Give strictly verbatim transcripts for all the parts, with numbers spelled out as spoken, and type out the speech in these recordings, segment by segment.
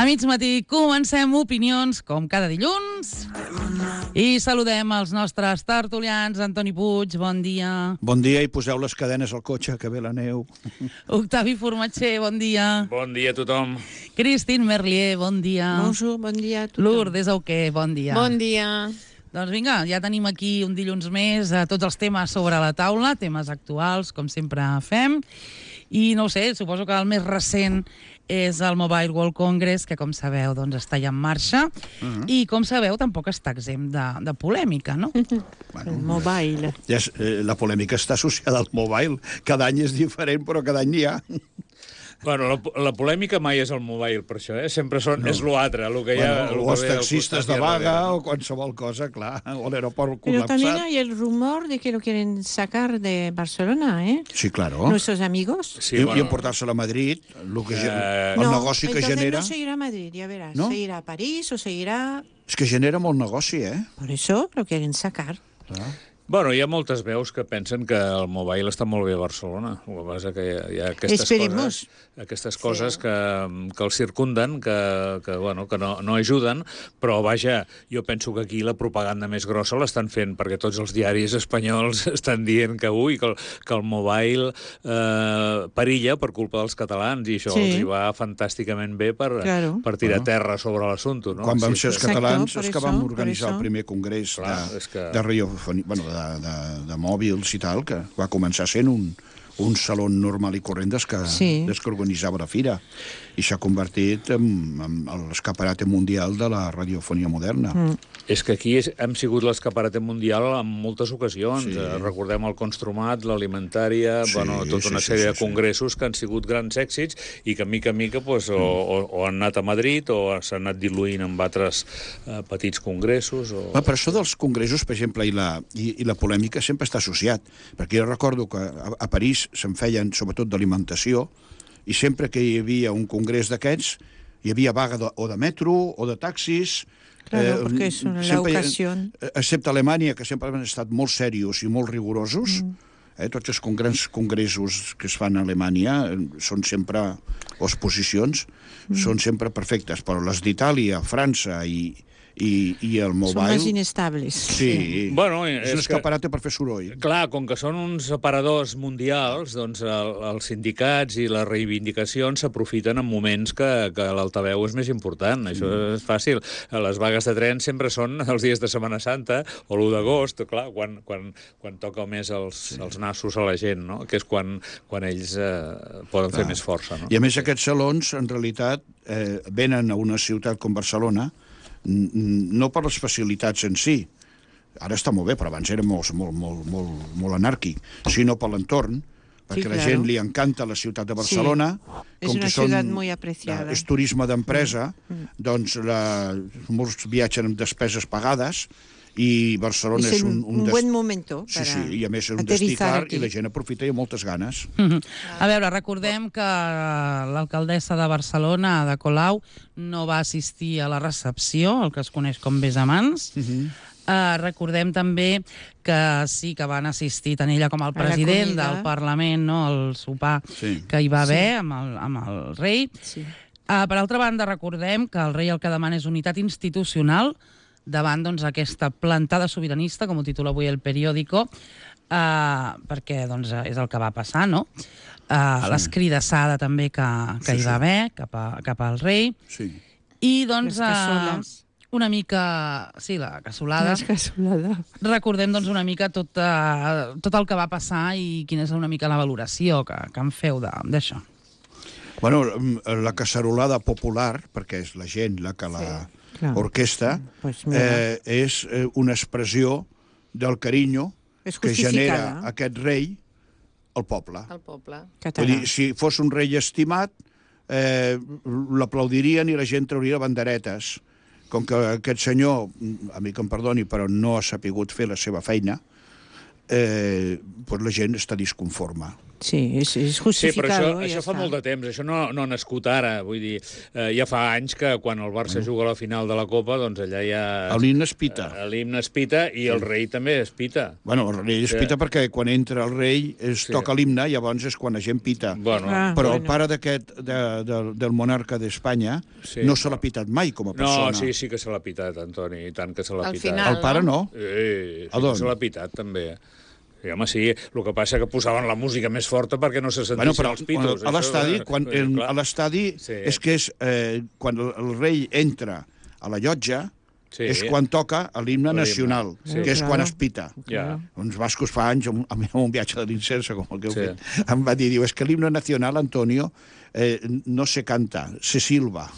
mig matí comencem opinions, com cada dilluns, i saludem els nostres tertulians. Antoni Puig, bon dia. Bon dia, i poseu les cadenes al cotxe, que ve la neu. Octavi Formatger, bon dia. Bon dia a tothom. Christine Merlier, bon dia. Bonjour, bon dia a tothom. Lourdes Auqué, bon dia. Bon dia. Doncs vinga, ja tenim aquí un dilluns més a tots els temes sobre la taula, temes actuals, com sempre fem. I no ho sé, suposo que el més recent és el Mobile World Congress, que com sabeu doncs, està ja en marxa, uh-huh. i com sabeu tampoc està exempt de, de polèmica, no? Bueno, el mobile. Ja és, eh, la polèmica està associada al mobile. Cada any és diferent, però cada any n'hi ha. Bueno, la, la polèmica mai és el mobile, per això, eh? Sempre són, no. És l'altre, el que hi ha... Bueno, o els taxistes de vaga, o qualsevol cosa, clar, o l'aeroport Pero también col·lapsat. hay el rumor de que lo quieren sacar de Barcelona, ¿eh? Sí, claro. Nuestros amigos. I, Sí, i bueno. emportar-se-la a Madrid, el, que, Eh, el no, negoci que entonces genera... no seguirá a Madrid, ya verás. ¿No? Seguirá a París o seguirá... És que genera molt negoci, eh? Por eso lo quieren sacar. Clar. Bueno, hi ha moltes veus que pensen que el mobile està molt bé a Barcelona. El que passa que hi ha, hi ha aquestes Esperemos. coses, aquestes coses que, que el circunden, que, que, bueno, que no, no ajuden, però, vaja, jo penso que aquí la propaganda més grossa l'estan fent, perquè tots els diaris espanyols estan dient que, ui, que el, que el mobile eh, perilla per culpa dels catalans, i això Sí. els hi va fantàsticament bé per, Claro. per tirar Bueno. terra sobre l'assumpte, no? Quan vam Sí, ser els que- catalans, Exacto, és por que vam eso, organitzar por el eso. primer congrés Clar, de, és que- de radiofonia, bueno, de, de, de mòbils i tal, que va començar sent un, un saló normal i corrent des que, Sí. des que organitzava la fira, i s'ha convertit en, en l'escaparate mundial de la radiofonia moderna. Mm. És que aquí és, hem sigut l'escaparate mundial en moltes ocasions. Sí. Eh, recordem el Construmat, l'Alimentària, Sí, bueno, tota sí, una sí, sèrie sí, de sí. congressos que han sigut grans èxits i que, mica en mica, pues, o, o, o han anat a Madrid o s'han anat diluint amb altres eh, petits congressos. O... Va, per això dels congressos, per exemple, i la, i, i la polèmica sempre està associat, perquè jo recordo que a, a París se'n feien, sobretot d'alimentació, i sempre que hi havia un congrés d'aquests, hi havia vaga de, o de metro o de taxis. Claro, porque es una- la sempre hi ha- ocasión. Excepte Alemanya, que sempre han estat molt serios i molt rigorosos, mm. eh, tots els grans congressos que es fan a Alemanya eh, són sempre, o exposicions, mm. són sempre perfectes, però les d'Itàlia, França i, i, i el Son mobile... más inestables. Sí, Bueno, és és un que- escaparate per fer soroll. Clar, com que són uns aparadors mundials, doncs el, els sindicats i les reivindicacions s'aprofiten en moments que, que l'altaveu és més important. Això és fàcil. Les vagues de tren sempre són els dies de Setmana Santa o l'u d'agost, clar, quan, quan, quan toca més els, sí. els nassos a la gent, no? Que és quan, quan ells eh, poden clar. fer més força. No? I a més aquests salons, en realitat, eh, venen a una ciutat com Barcelona n- n- no per les facilitats en si, ara està molt bé, però abans era molt, molt, molt, molt, molt anàrquic, sinó per l'entorn, perquè Sí, a la claro. gent li encanta la ciutat de Barcelona. Es una ciudad muy apreciada. És turisme d'empresa, Mm. doncs la, molts viatgen amb despeses pagades, i Barcelona Es és un... un, un des- buen momento Sí, para sí, i a més és un aterrizar destí clar aquí. i la gent aprofita i amb moltes ganes. Mhm. A veure, recordem que l'alcaldessa de Barcelona, Ada Colau, no va assistir a la recepció, el que es coneix com Besamans. Mhm. Uh, recordem també que sí que van assistir tant ella com el la president comida. del Parlament, no, al sopar Sí. que hi va Sí. haver amb, el, amb el rei. Sí. Uh, per altra banda, recordem que el rei el que demana és unitat institucional davant doncs, aquesta plantada sobiranista, com ho titula avui el periòdico, uh, perquè doncs, és el que va passar, no? Uh, Sí. L'escridassada també que, que Sí, hi sí. va haver cap, a, cap al rei. Sí. I doncs Les cassoles. uh, una mica... Sí, la cassolada. Las casoladas. Recordem doncs, una mica tot, uh, tot el que va passar i quina és una mica la valoració que, que en feu de- d'això. Bueno, la cacerolada popular, perquè és la gent la que la Sí, clar. orquestra, Pues mira. eh, és eh, una expressió del carinyo És que genera justificada. aquest rei al poble. al poble. Vull dir, si fos un rei estimat, eh, l'aplaudirien i la gent trauria banderetes. Com que aquest senyor, a mi que em perdoni, però no ha sapigut fer la seva feina, eh, doncs la gent està disconforme. Sí, és, és Sí, però justificado. això, ja això fa està. molt de temps, això no, no ha nascut ara, vull dir, eh, ja fa anys que quan el Barça juga a la final de la Copa, doncs allà ja... L'himne es pita. Eh, L'himne es pita i el rei també es pita. Bueno, el rei es Sí. pita perquè quan entra el rei es Sí. toca l'himne, llavors és quan la gent pita. Bueno, Ah. Però el bueno. pare d'aquest, de, de, del monarca d'Espanya, Sí. no se l'ha pitat mai com a no, persona. sí, sí que se l'ha pitat, Antoni, i tant que se l'ha Al pitat. final. El pare no. Sí, sí A que d'on? se l'ha pitat, també. Sí, home, sí, el que passa que posaven la música més forta perquè no se sentissin Bueno, però els pitos. a l'estadi, Això, quan, eh, en, clar. a l'estadi Sí. és que és eh, quan el, el rei entra a la llotja, Sí. és quan toca l'himne L'himne, nacional, sí. que és Claro. quan es pita. Ja. Uns bascos fa anys, amb, amb un viatge de l'incersa, com el que heu Sí. fet, em va dir, diu, és que l'himne nacional, Antonio, eh, no se canta, se silba.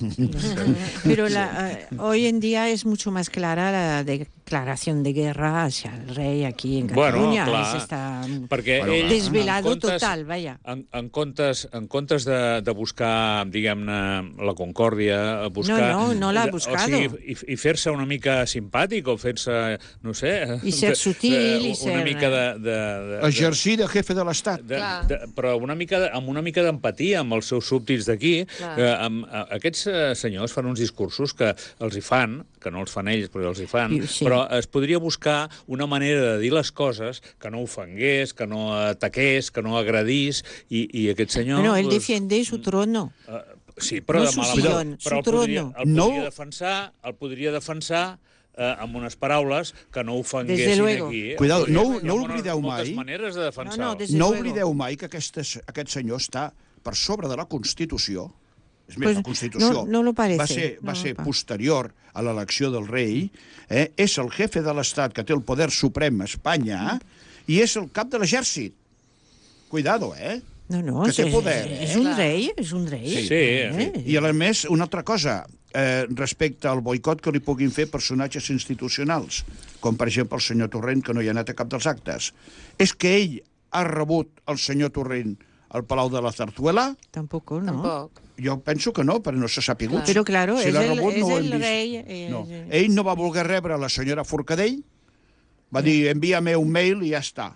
Pero la, eh, hoy en día es mucho más clara la declaración de guerra hacia el rey aquí en Bueno, Cataluña. clar, Es está perquè Bueno, ell... clar. desvelado en comptes- total, vaya. En, en, comptes, en comptes de, de buscar, diguem-ne, la concòrdia, buscar... No, no, no l'ha o buscado. sigui, i, i fer-se una mica simpàtic o fer-se, no sé... I ser sutil i una ser- mica de... de, de, de Exercir de jefe de l'Estat. de, Clar. de, però una mica de, amb una mica d'empatia amb els seus súbdits d'aquí. Clar. Eh, amb, a, aquests eh, senyors fan uns discursos que els hi fan, que no els fan ells, però els hi fan, I- sí. però es podria buscar una manera de dir les coses que no ofengués, que no ataqués, que no agredís, i, i aquest senyor... Bueno, él doncs, defiende su trono. eh, sí, però no de su mala sillón, manera. su Però el podria, trono. el podria No. defensar, el podria defensar eh, amb unes paraules que no Desde ofenguessin luego. aquí. Cuidado, Hi ha- no- hi ha no moltes- oblideu moltes mai- maneres de defensar-ho. No, no, des- Desde No luego. oblideu mai que aquest, aquest senyor està per sobre de la Constitució. És més, Pues la Constitució no- no lo parece, va ser, va no ser lo pa- posterior a l'elecció del rei, eh? És el jefe de l'Estat que té el poder suprem a Espanya i és el cap de l'exèrcit. Cuidado, eh? No, no, Que es, té es- poder, es eh? un rey, es un rey. Sí, sí. I, a més, una altra cosa, eh, respecte al boicot que li puguin fer personatges institucionals, com per exemple el senyor Torrent, que no hi ha anat a cap dels actes, és que ell ha rebut el senyor Torrent al Palau de la Zarzuela? Tampoco, ¿no? Tampoc. Jo penso que no, però no se sap Clar. Pero claro, si es l'ha el, rebut, es no ho hem el vist. rey. eh, No. eh, Ell no va voler rebre la senyora Forcadell, va dir, envia-me un mail i ja està.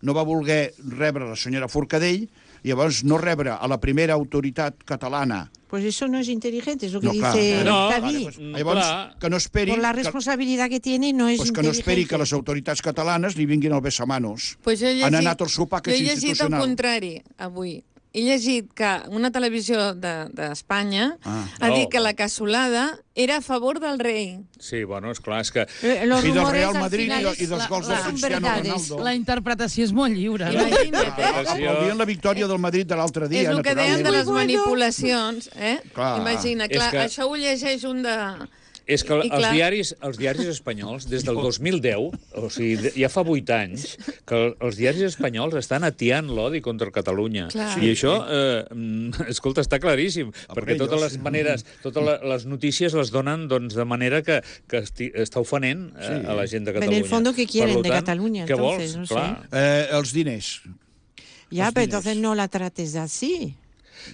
No va voler rebre la senyora Forcadell, i llavors no rebre a la primera autoritat catalana. Pues eso no es inteligente, es lo que No, clar. dice No, David. Pues, Mm, llavors, clar. que no esperi... Por la que, responsabilidad que tiene, no es pues que no esperi inteligente. que les autoritats catalanes li vinguin al besamanos. Pues jo he llegit, Han anat al sopar, que jo és he llegit el institucional. contrari, avui. He llegit que una televisió d'Espanya de, Ah. ha dit Oh. que la cassolada era a favor del rei. Sí, bueno, és clar, és que... Eh, Los I del rumores Real al Madrid final i, de- es- i dels la- gols la- de son Cristiano verdades. Ronaldo. La interpretació és molt lliure. no? Imagina't, eh? Aplaudien la victòria del Madrid de l'altre dia, És el que deien de naturalment. les manipulacions, eh? Clar. Imagina, És clar, que- això ho llegeix un de... És que I els clar- diaris, els diaris espanyols, des del dos mil deu, o sigui, de- ja fa vuit anys, que els diaris espanyols estan atiant l'odi contra Catalunya. Clar. I això, eh, mm, escolta, està claríssim, perquè totes les maneres, totes la- les notícies les donen doncs, de manera que, que esti, està ofenent eh, Sí. a la gent de En Catalunya. el fondo, ¿qué quieren Per de tant, Catalunya, Què entonces? vols? No sé. Clar. Eh, els diners. Ya, Los pero diners. entonces no la trates así.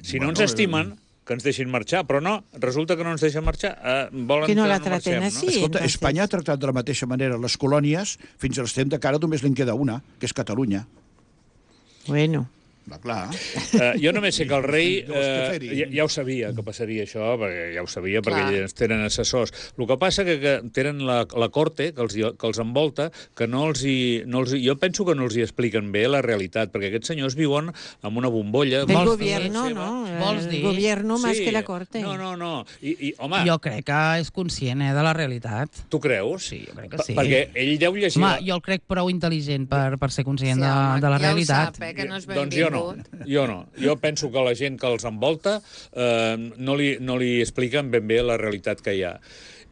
Si Bueno, no ens estimen, que ens deixin marxar, però no, resulta que no ens deixen marxar. Eh, volen Que no la no traten marxem, així. no? Escolta, entonces- Espanya ha tractat de la mateixa manera les colònies, fins a l'estem de cara només li'n queda una, que és Catalunya. Bueno. Va, clar. Uh, jo només sé que el rei Llavors, què uh, fer-hi? ja, ja ho sabia que passaria això, perquè ja ho sabia, Clar. perquè ells tenen assessors. El que passa que, que tenen la, la corte que els, hi- que els envolta, que no els hi, no els hi, jo penso que no els hi expliquen bé la realitat, perquè aquests senyors viuen amb una bombolla. Del Vols gobierno, dir- ¿no? vols El dir? gobierno más Sí. que la corte. No, no, no. I, i home, Jo crec que és conscient eh, de la realitat. tu creus? Sí, jo crec que Pa- sí. Perquè ell deu llegir... Home, la- jo el crec prou intel·ligent per, per ser conscient Sí, de, home, de la ja ho realitat. sap, eh, que no és Doncs jo no, benvingut. jo no. Jo penso que la gent que els envolta eh, no, li, no li expliquen ben bé la realitat que hi ha.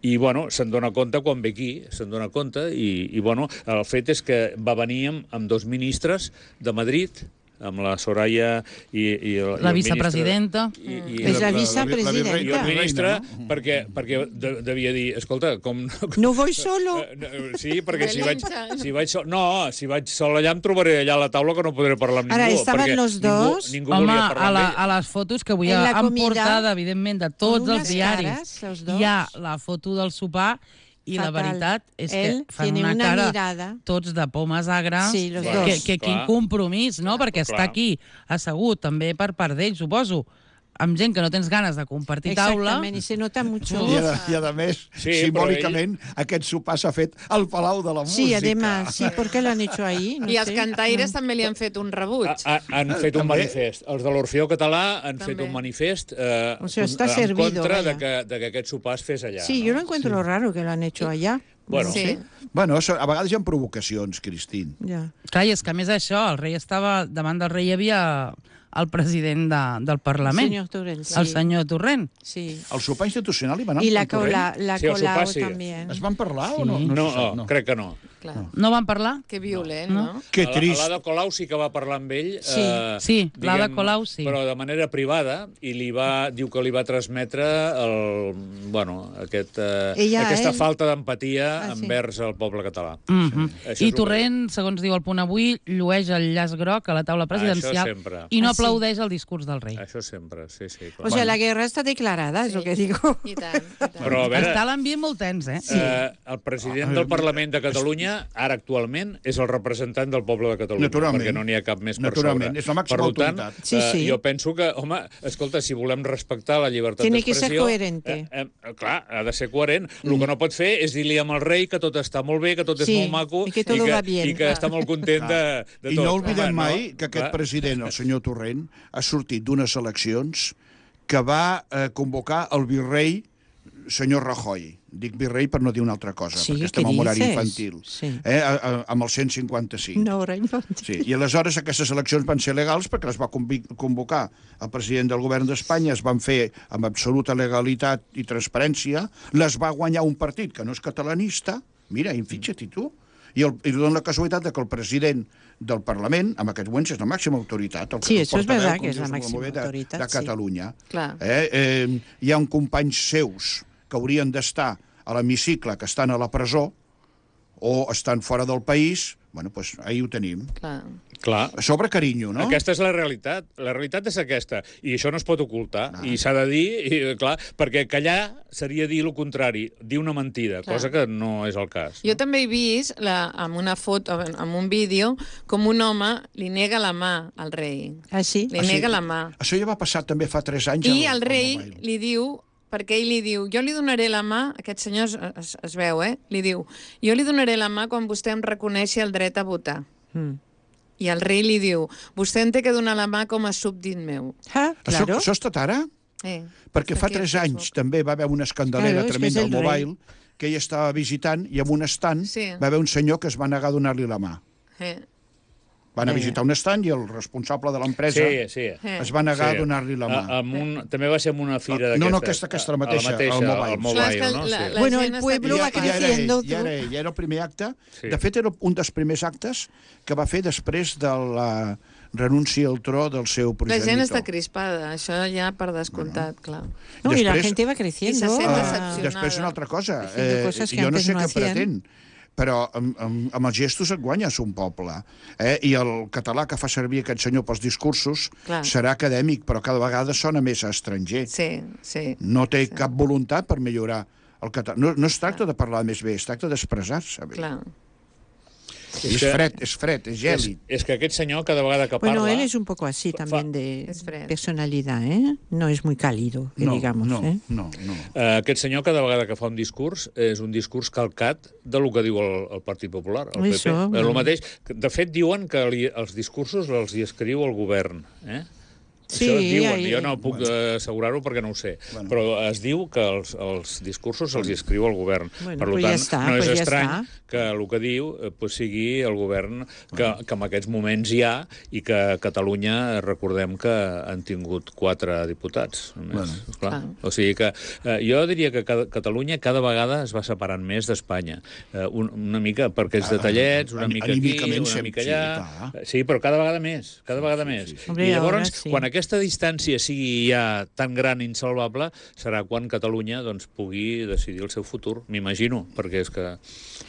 I, bueno, se'n dona compte quan ve aquí, se'n dona compte, i, i, bueno, el fet és que va venir amb, amb dos ministres de Madrid, amb la Soraya i, i el, La i el vicepresidenta. ministre, i, i, És la i, vicepresidenta. i el ministre, no? perquè, perquè de, devia dir, escolta, com... No voy solo. Eh, no, Sí, perquè si vaig, Belinda. si vaig sol... No, si vaig sol allà em trobaré allà a la taula que no podré parlar amb Ara, ningú. estaven perquè los dos? Ningú, ningú Home, volia a, parlar la, amb ell. a les fotos que avui En la han comida, portada, evidentment, de tots con els unes diaris, cares, els dos. hi ha la foto del sopar I la Fatal. veritat és Él que fan tiene una, una cara mirada. tots de pomes agres. Sí, los que, dos. que quin Clar. compromís, no? Perquè Clar. està aquí assegut, també per part d'ell, suposo, amb gent que no tens ganes de compartir taula. Exactament, y se nota mucho. I a, i a més, Sí, simbòlicament, aquest sopar s'ha fet al Palau de la Música. Sí, además, sí, ¿por qué lo han hecho ahí? No I els sé. cantaires també li han fet un rebuig. Ha, ha, han fet un També. manifest. Els de l'Orfeó Català han També. fet un manifest eh, O sea, está en servido, contra vaya. de que, de que aquest sopar es fes allà. Sí, no? yo lo encuentro lo raro que lo han hecho allá. Bueno, Sí. Bueno, so- a vegades hi ha provocacions, Cristín. Ya. Clar, i és que a més això, el rei estava... Davant del rei hi havia el president de, del Parlament, Señor Torrent, sí. el senyor Torrent. Sí. El sopar institucional hi va anar Y amb la, el Torrent? cola, la Sí, el Colau sopar sí. también. Es van parlar Sí. o no? No, se no, sap, no, crec que no. Clar. No van parlar? Que violent, no? Que A la- trist. A l'Ada Colau sí que va parlar amb ell. Sí. Eh, Sí, l'Ada diguem, Colau sí. Però de manera privada, i li va, diu que li va transmetre el, bueno, aquest, eh, Ella, aquesta ell? falta d'empatia Ah, sí. envers el poble català. Mm -hmm. Això és I el que Torrent, segons diu el Punt Avui, llueix el llaç groc a la taula presidencial Això sempre. i no Ah, sí. aplaudeix el discurs del rei. Això sempre, sí, sí. Clar. O sea, la guerra está declarada, es lo que digo. I tant, i tant. Però a veure, Està l'ambient molt tens, eh? eh, el president del Parlament de Catalunya, ara actualment, és el representant del poble de Catalunya, Naturalment. perquè no n'hi ha cap més per Naturalment, sobre. és la màxima per tant, autoritat. Sí, eh, sí. jo penso que, home, escolta, si volem respectar la llibertat Tiene que d'expressió... ser coherente. Eh, eh, clar, ha de ser coherent. El que no pot fer és dir-li amb el rei que tot està molt bé, que tot és Sí, molt maco i que todo i que, va bien. i que està molt content de, de I tot. no oblidem Home, mai no? que aquest Clar. president, el senyor Torrent, ha sortit d'unes eleccions que va eh, convocar el virrei senyor Rajoy. Dic virrei per no dir una altra cosa, Sí, perquè què estem en horari dices? infantil. Sí. Eh, a, a, amb el cent cinquanta-cinc. No, rey, no. Sí, i aleshores aquestes eleccions van ser legals perquè les va convi- convocar el president del govern d'Espanya, es van fer amb absoluta legalitat i transparència, les va guanyar un partit que no és catalanista, mira, i fixa't-hi tu, i, el, i dona la casualitat de que el president del Parlament, en aquest moment, és la màxima autoritat. El, Sí, el eso es portaveu, verdad com que és dius, la del màxima moviment de, autoritat, de sí. Catalunya. Clar. Eh? Eh, hi ha un companys seus que haurien d'estar a l'hemicicle, que estan a la presó, o estan fora del país, bueno, doncs ahir ho tenim. Clar. Clar. Sobre carinyo, no? Aquesta és la realitat. La realitat és aquesta. I això no es pot ocultar. Ah. I s'ha de dir, i, clar, perquè callar seria dir el contrari, dir una mentida, Clar. cosa que no és el cas. Jo també he vist la, amb una foto, amb un vídeo, com un home li nega la mà al rei. Ah, sí? Li Ah, sí? nega la mà. Això ja va passar també fa tres anys. I al- el al rei mobile. li diu, perquè ell li diu, jo li donaré la mà, aquest senyor es, es, es veu, eh? Li diu, jo li donaré la mà quan vostè em reconeixi el dret a votar. Mm. I el rei li diu, vostè em té que donar la mà com a súbdit meu. Ah, Això, claro. això ha estat ara? Eh. Perquè fa Perquè tres és anys també va haver una escandalera Claro, és que tremenda és al el rei. mobile, que ell estava visitant i en un estant Sí. va haver un senyor que es va negar a donar-li la mà. Eh. Van a Eh. visitar un estant i el responsable de l'empresa Sí, sí. Eh. es va negar Sí. a donar-li la mà. A, amb un, també va ser en una fira No, d'aquestes. no, aquesta- aquesta, la mateixa, a la mateixa, al Mobile. al Clar, és mobile, que no? la- Sí. la Bueno, gent el està pueblo I va ja, ja, era creciendo. ell, ja, era ell, ja era el primer acte. Sí. De fet, era un dels primers actes que va fer després de la renúncia al tro del seu La progenitor. gent està crispada, això ja per descomptat, clar. No, y la Després- gente va creciendo. Y se sent ah, decepcionada. Després una altra cosa. Haciendo cosas que jo no antes sé no què hacían. pretén, però amb, amb, amb els gestos et guanyes un poble. Eh? I el català que fa servir aquest senyor pels discursos Clar. serà acadèmic, però cada vegada sona més a estranger. Sí, sí. No té cap voluntat per millorar el català. No, no es tracta de parlar més bé, es tracta d'expressar-se bé. Clar. I és que- fred, és fred, és És, gèlid. és que aquest senyor, cada vegada que Bueno, parla... él es un poco así también de Es fred. personalidad, ¿eh? No es muy cálido, que No, digamos, no, ¿eh? no, no. Eh, aquest senyor, cada vegada que fa un discurs, és un discurs calcat de lo que diu el, el Partit Popular, el P P. Això, Eh, bueno. el mateix. De fet, diuen que li, els discursos els hi escriu el govern. Eh? Sí, Això es diuen, ahí- jo no puc eh, assegurar-ho perquè no ho sé, Bueno. però es diu que els, els discursos els hi escriu el govern. Bueno, per pues tant, ja està, no és pues ja estrany està. que el que diu eh, pues sigui el govern que, que en aquests moments hi ha i que a Catalunya recordem que han tingut quatre diputats. Només, Bueno. clar. Ah. O sigui que eh, jo diria que cada, Catalunya cada vegada es va separant més d'Espanya. Eh, un, una mica per aquests detallets, una Ani- mica aquí, anímicament una sempre, mica sí, allà... clar. Sí, però cada vegada més, cada vegada més. Hombre, I llavors, ahora sí. quan aquesta distància sigui ja tan gran i insalvable serà quan Catalunya doncs, pugui decidir el seu futur, m'imagino, perquè és que...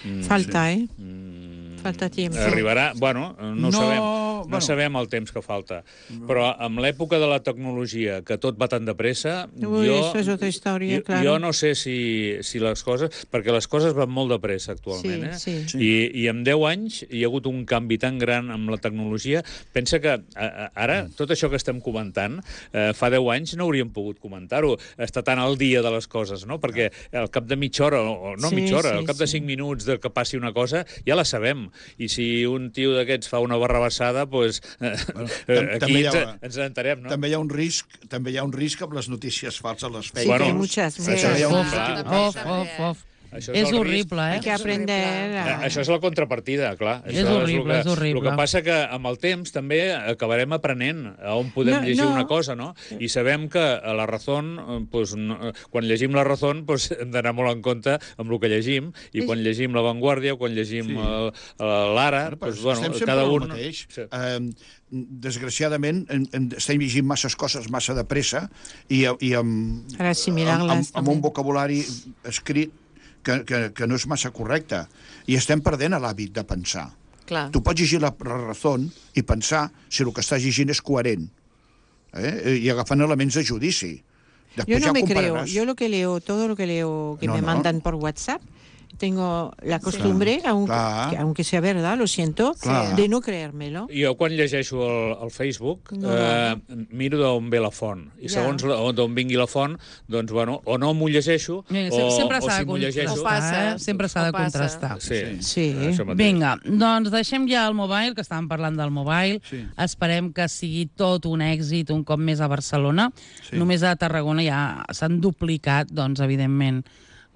Mm, Falta, sí. eh? Mm, Falta tiempo. Arribarà, bueno, no, No, sabem, no bueno. sabem el temps que falta, però amb l'època de la tecnologia, que tot va tan de pressa, Uy, jo, eso es otra historia, jo, claro. jo no sé si, si les coses... Perquè les coses van molt de pressa actualment, Sí, eh? sí. I, I en deu anys hi ha hagut un canvi tan gran amb la tecnologia. Pensa que a, a, ara, tot això que estem comentant, eh, fa deu anys no hauríem pogut comentar-ho, estar tan al dia de les coses, no? Perquè al cap de mitja hora, o no Sí, mitja hora, sí, al cap de sí. cinc minuts de que passi una cosa, ja la sabem. I si un tio d'aquests fa una barrabassada, doncs eh, Bueno, eh, tam- aquí també hi ha- ens, ens enterem, no? També hi ha un risc, també hi ha un risc amb les notícies falses, les fake Sí, Bueno, que hay news. muchas, sí, muchas. Això hi ha un Of, risc. clar. of, of, of. Això És el risc. horrible, Hay eh? que aprender Eh, a... Això és la contrapartida, clar. És Això horrible, el que, és horrible. El que passa que amb el temps també acabarem aprenent a on podem No, llegir no. una cosa, no? I sabem que a la Razón, eh, pues, no, quan llegim la Razón, pues, hem d'anar molt en compte amb el que llegim, i quan llegim La Vanguardia, o quan llegim Sí. el- el- l'Ara, Bueno, pues, però bueno, estem sempre cada al un... mateix. Sí. Eh, desgraciadament, en, en, estem llegint masses coses massa de pressa i, i amb, Para assimilar-les, amb, amb, amb un també. vocabulari escrit que, que, que no és massa correcte. I estem perdent l'hàbit de pensar. Clar. Tu pots llegir la Razón i pensar si el que estàs llegint és coherent, eh? I agafant elements de judici. Yo Després no ja me creo. compararàs. Yo lo que leo, todo lo que leo que No, me no. mandan por WhatsApp, tengo la costumbre, aunque, Clar. que aunque sea verdad, lo siento, Clar. de no creérmelo. Jo, quan llegeixo el, el Facebook, No, eh, miro d'on ve la font. I Ja. segons la- d'on vingui la font, doncs, bueno, o no m'ho llegeixo, Mira, o, sempre o s'ha si de m'ho llegeixo... O passa, contrastar, eh? Sempre s'ha de o passa. contrastar. Sí, Sí. això mateix. Vinga, doncs deixem ja el mobile, que estàvem parlant del mobile. Sí. Esperem que sigui tot un èxit un cop més a Barcelona. Sí. Només a Tarragona ja s'han duplicat, doncs, evidentment,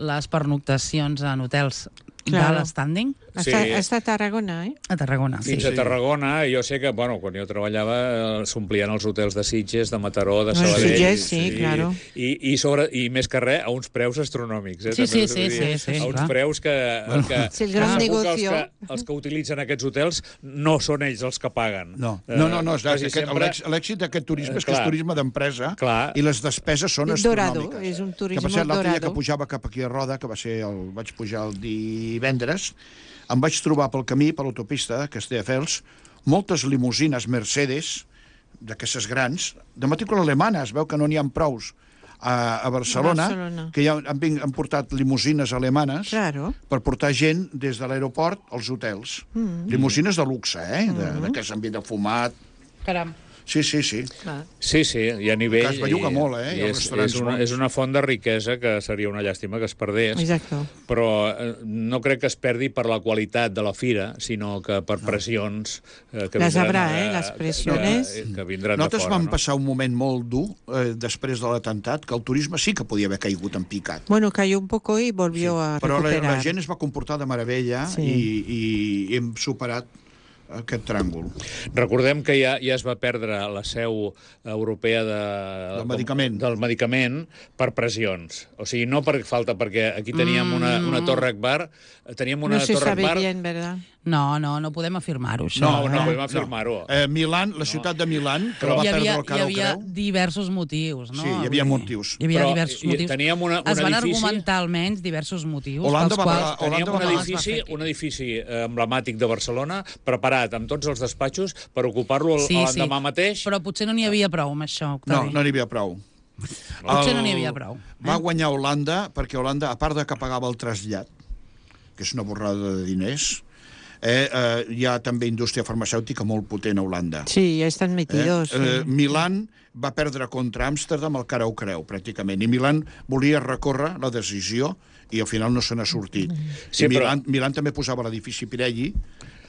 les pernoctacions en hotels Claro. de l'standing Hasta, Sí. hasta Tarragona, ¿eh? a Tarragona. Sí. Fins a Tarragona, jo sé que, bueno, quan jo treballava, eh, s'omplien els hotels de Sitges, de Mataró, de Els Sabadell... Sitges, sí, claro. I, i, sobre, I més que res, a uns preus astronòmics. Eh, Sí, també sí, us he de sí, dir. sí, sí, A uns clar. preus que... que És el gran que segur que negocio. Els que, els que utilitzen aquests hotels no són ells els que paguen. No, Eh, no, no, no és quasi aquest, sempre- l'ex- l'èxit d'aquest turisme és que Clar. és turisme d'empresa Clar. i les despeses són És dorado, astronòmiques. és un Que turisme per cert, l'altre dia dorado. que pujava cap aquí a Roda, que va ser el, vaig pujar el divendres, em vaig trobar pel camí, per l'autopista de Castelldefels, moltes limusines Mercedes, d'aquestes grans, de matrícula alemana, es veu que no n'hi ha prous a, a Barcelona, Barcelona. que ja han, ving- han portat limusines alemanes Claro. per portar gent des de l'aeroport als hotels. Mm. Limusines de luxe, eh? De, Mm. d'aquest ambient de fumat. Caram. Sí, sí, sí. Clar. Sí, sí, i a nivell... Que es belluga i- molt, eh? i I els és, restaurants és, una, bons. és una font de riquesa que seria una llàstima que es perdés. Exacto. Però eh, no crec que es perdi per la qualitat de la fira, sinó que per pressions eh, que Les vindran, habrá, eh, les pressiones. Que, que vindran Nosaltres de fora, vam no? passar un moment molt dur eh, després de l'atemptat, que el turisme sí que podia haver caigut en picat. Bueno, cayó un poco y volvió a Però la, recuperar. la gent es va comportar de meravella Sí. i, i hem superat aquest tràngol. Recordem que ja, ja es va perdre la seu europea de, Del medicament. del medicament per pressions. O sigui, no per falta, perquè aquí teníem una, una torre Akbar, teníem una No se torre sabe Akbar... bien, ¿verdad? No, no, no podem afirmar-ho, això. No, no, eh? podem afirmar-ho. Eh, Milán, la ciutat de Milán, que la va hi havia, perdre el hi cara al havia creu. diversos motius, no? Sí, hi havia Vull dir, motius. Hi havia Però diversos i- motius. teníem una- un es van edifici- argumentar almenys diversos motius Holanda pels va quals... pagar- Teníem Holanda un va pagar- edifici, es va fer un edifici eh, emblemàtic de Barcelona preparat amb tots els despatxos per ocupar-lo Sí, l'endemà sí, mateix. però potser no n'hi havia prou amb això, No, Octavi. no n'hi havia prou. Potser no n'hi havia prou. Va guanyar Holanda, perquè Holanda, a part de que pagava el trasllat, que és una borrada de diners, eh, eh, hi ha també indústria farmacèutica molt potent a Holanda. Sí, ya están metidos. Eh, eh, sí. Milán va perdre contra Amsterdam el cara o creu, pràcticament, i Milán volia recórrer la decisió i al final no se n'ha sortit. Sí, I però- Milán, Milán també posava l'edifici Pirelli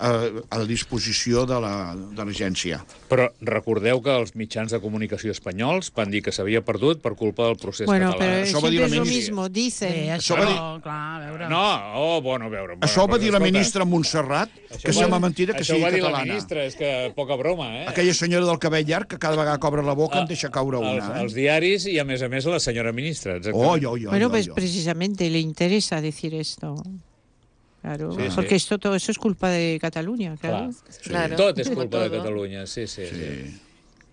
eh, a la disposició de la- de l'agència. Però recordeu que els mitjans de comunicació espanyols van dir que s'havia perdut per culpa del procés Bueno, català. pero Això va dir siempre la es lo ministra. mismo, Bé, dicen. això, va no, clar, a veure... No, oh, bueno, a veure... Bueno, Això ho va però, dir la escolta, ministra Montserrat, que això sembla va- mentira que això sigui ho va dir la catalana. ministra, és que poca broma, eh? Aquella senyora del cabell llarg que cada vegada que obre la boca en deixa caure Els, una. els Eh? diaris i, a més a més, la senyora ministra. exactament. Oh, jo, jo, Bueno, jo, pues jo. precisamente le interesa decir esto. Claro, Sí, sí. porque esto todo eso es culpa de Cataluña, claro. Clar. Claro. Tot és Como culpa de todo. Catalunya, sí, sí. sí. Sí.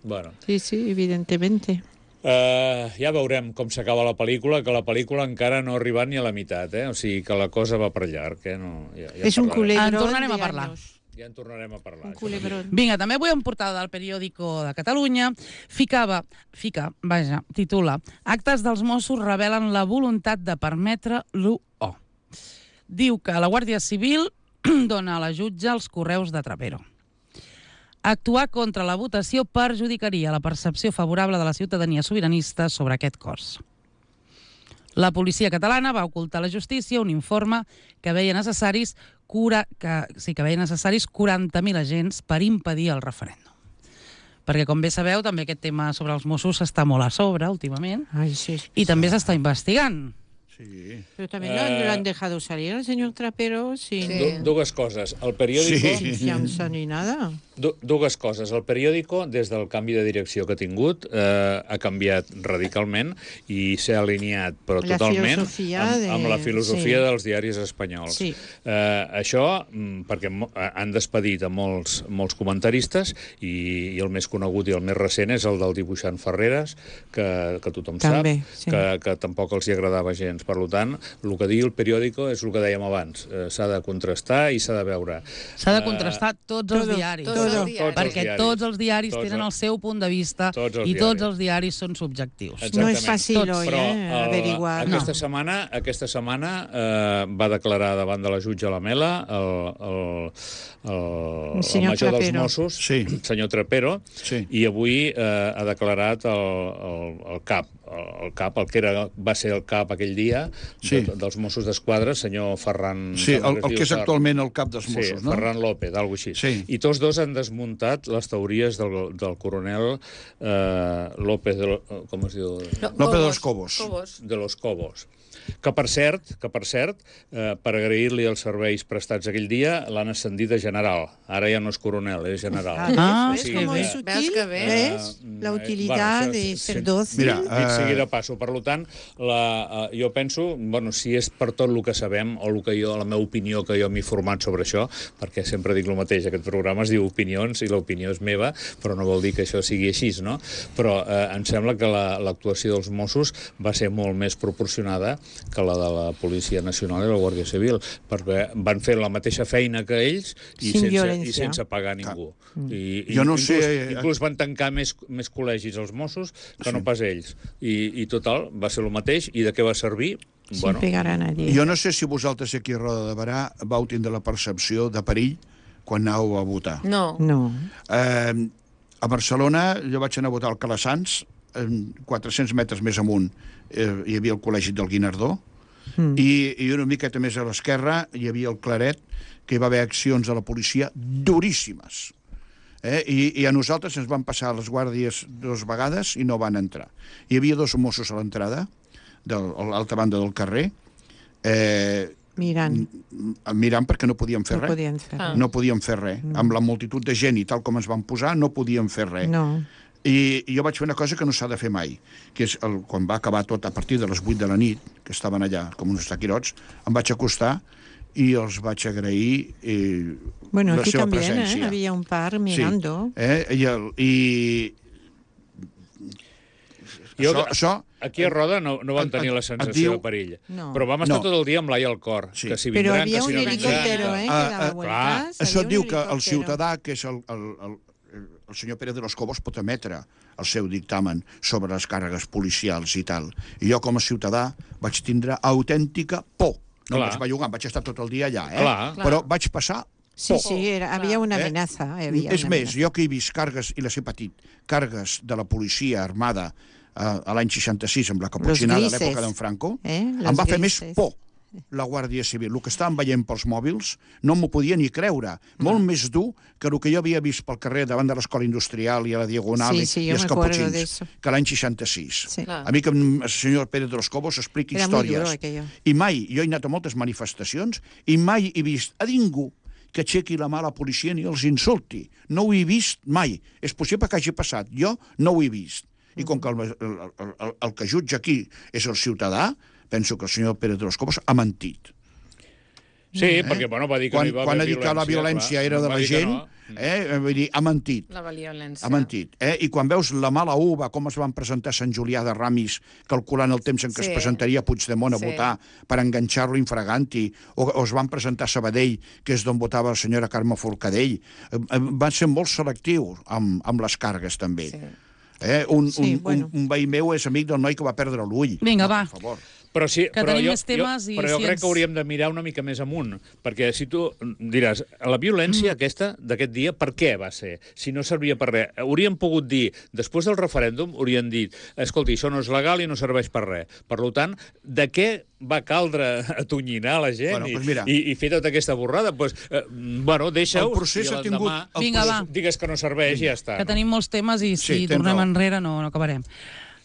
Bueno. Sí, sí, evidentemente. Uh, ja veurem com s'acaba la pel·lícula, que la pel·lícula encara no ha arribat ni a la meitat, eh? O sigui que la cosa va per llarg, eh? No, ja, ja És un culebrón En tornarem a de parlar. años. Ja en tornarem a parlar. Un culebrón. Vinga, també avui en portada del periòdico de Catalunya ficava, fica, vaja, titula Actes dels Mossos revelen la voluntat de permetre l'u o. Diu que la Guàrdia Civil dona a la jutge els correus de Trapero. Actuar contra la votació perjudicaria la percepció favorable de la ciutadania sobiranista sobre aquest cos. La policia catalana va ocultar a la justícia un informe que veia necessaris, cura, que, sí, que veia necessaris quaranta mil agents per impedir el referèndum. Perquè, com bé sabeu, també aquest tema sobre els Mossos està molt a sobre últimament Ay, sí. i també s'està investigant. Sí. Pero también lo, Eh, lo han dejado salir al señor Trapero sin, Sí. Du dues coses. El periòdico... Sí. sin fianza ni nada. Du dues coses. El periòdico, des del canvi de direcció que ha tingut, eh, ha canviat radicalment i s'ha alineat, però La totalment, filosofia amb, de- amb la filosofia sí. dels diaris espanyols. Sí. Eh, això, mm, perquè mo- han despedit a molts, molts comentaristes i, i el més conegut i el més recent és el del dibuixant Ferreres, que, que tothom També, sap, sí. que, que tampoc els hi agradava gens. Per tant, el que digui el periòdico és el que dèiem abans. Eh, s'ha de contrastar i s'ha de veure. S'ha de contrastar tots els Todo, diaris. Tots els todo. diaris. Tots els Perquè diaris. tots els diaris Tots tenen els- el seu punt de vista Tots els i tots diaris. els diaris són subjectius. Exactament. No es fácil Tots. hoy, Però eh, el- averiguar. aquesta No. setmana, aquesta setmana eh, va declarar davant de la jutge Lamela el, el, el, El el senyor major dels Trapero. Mossos, Sí. senyor Trapero, Sí. i avui eh, ha declarat el, el, el cap, el, el cap, el que era, va ser el cap aquell dia Sí. de, dels Mossos d'Esquadra, senyor Ferran... Sí, sembla el, es el diu que és Fer- actualment el cap dels Mossos, sí, no? Ferran López, alguna així. Sí. I tots dos han desmuntat les teories del, del coronel eh, López, de, lo- com es diu? López de los Cobos. Cobos. de los Cobos. Que, per cert, que per cert eh, per agrair-li els serveis prestats aquell dia, l'han ascendit a general. Ara ja no és coronel, és general. Ah, Ah, ¿ves sí, cómo que- es útil? Veus que bé? ¿Ves? Eh, La eh, utilidad bueno, això de és- ser sí. dócil. Mira, Dit Eh, sigui de passo. Per tant, la, uh, jo penso, bueno, si és per tot el que sabem, o el que jo, la meva opinió, que jo m'he format sobre això, perquè sempre dic el mateix, aquest programa es diu Opinions, i l'opinió és meva, però no vol dir que això sigui així, no? Però eh, em sembla que l'actuació la, dels Mossos va ser molt més proporcionada que la de la Policia Nacional i la Guàrdia Civil, perquè van fer la mateixa feina que ells i, Sin sense, i violència. sense pagar ningú. I, i Jo no inclús, sé- Inclús van tancar més, més col·legis als Mossos que no pas ells. I, I total, va ser el mateix. I de què va servir? Sin pegar a nadie. Jo no sé si vosaltres aquí a Roda de Barà vau tindre la percepció de perill quan anàveu a votar. No. No. Eh, a Barcelona jo vaig anar a votar al Calassans, eh, quatre-cents metres més amunt eh, hi havia el Col·legi del Guinardó, mm. i, i una miqueta més a l'esquerra hi havia el Claret, que hi va haver accions de la policia duríssimes. Eh? I, I a nosaltres ens van passar les guàrdies dues vegades i no van entrar. Hi havia dos Mossos a l'entrada, de l'altra banda del carrer, eh, Mirant. mirant perquè no podíem fer No res. podien fer. Ah. No podíem fer res. Mm. Amb la multitud de gent i tal com ens van posar, no podíem fer res. No. I, I jo vaig fer una cosa que no s'ha de fer mai, que és el, quan va acabar tot a partir de les vuit de la nit, que estaven allà com uns taquirots, em vaig acostar i els vaig agrair eh, Bueno, la aquí seva también, ¿eh? presència. Había un par mirando. Sí. Eh? I, el, i... Jo, això, això, aquí a Roda no, no vam Et- tenir et- la et sensació diu- de perill. No. Però vam estar No. tot el dia amb l'ai al cor. Sí. Que si Pero vindran, había que si un no vindran... helicóptero, ¿eh? Que Ah, daba ah, vueltas. això Había un diu que el helicóptero. ciutadà, que és el, el, el, el senyor Pérez de los Cobos, pot emetre el seu dictamen sobre les càrregues policials i tal. I jo, com a ciutadà, vaig tindre autèntica por. No Clar. em vaig bellugar, vaig estar tot el dia allà, eh? Clar. Però vaig passar Sí, por. sí, era, había una Eh? amenaza. Había És una més, amenaza. jo que he vist càrregues, i les he patit, càrregues de la policia armada eh, a l'any seixanta-sis, amb la caputxinada a grises. l'època d'en Franco, Eh? em Los va fer més grises. por la Guàrdia Civil. El que estàvem veient pels mòbils no m'ho podia ni creure. Molt més dur que el que jo havia vist pel carrer davant de l'Escola Industrial i a la Diagonal Sí, i, sí, i jo els me acuerdo caputxins, de eso. que l'any seixanta-sis. Sí. Clar. A mi que el senyor Pérez de los Cobos expliqui Era muy històries. duro aquello. I mai, jo he anat a moltes manifestacions, i mai he vist a ningú que aixequi la mà a la policia ni els insulti. No ho he vist mai. És possible que hagi passat. Jo no ho he vist. I com que el, el, el, el, el que jutja aquí és el ciutadà, penso que el senyor Pérez de los Cobos ha mentit. Sí, eh? perquè bueno, va dir que quan, no hi va quan haver ha dit que la violència clar, era de va la dir que gent, no. eh? Vull dir, ha mentit. La violència. Ha mentit. Eh? I quan veus la mala uva, com es van presentar a Sant Julià de Ramis, calculant el temps en què Sí. es presentaria Puigdemont a Sí. votar per enganxar-lo infraganti, o, o es van presentar a Sabadell, que és d'on votava la senyora Carme Forcadell, eh, eh, van ser molt selectius amb, amb les cargues, també. Sí. Eh? Un, Sí, un, bueno. un, un veí meu és amic del noi que va perdre l'ull. Vinga, Home, va. Per favor. Però, sí, Que però, tenim jo, més temes jo, i però jo si crec ens- que hauríem de mirar una mica més amunt, perquè si tu diràs, la violència aquesta d'aquest dia, per què va ser? Si no servia per res. Hauríem pogut dir, després del referèndum, haurien dit, escolti, això no és legal i no serveix per res. Per tant, de què va caldre atonyinar la gent Bueno, i, doncs mira. i, i fer tota aquesta borrada? Pues, eh, bueno, deixa-ho El procés i ha tingut- l'endemà el Vinga, va. digues que no serveix i ja està. Que no? tenim molts temes i si Sí, tens tornem raó. enrere no, no acabarem.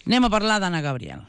Anem a parlar d'Anna Gabriel.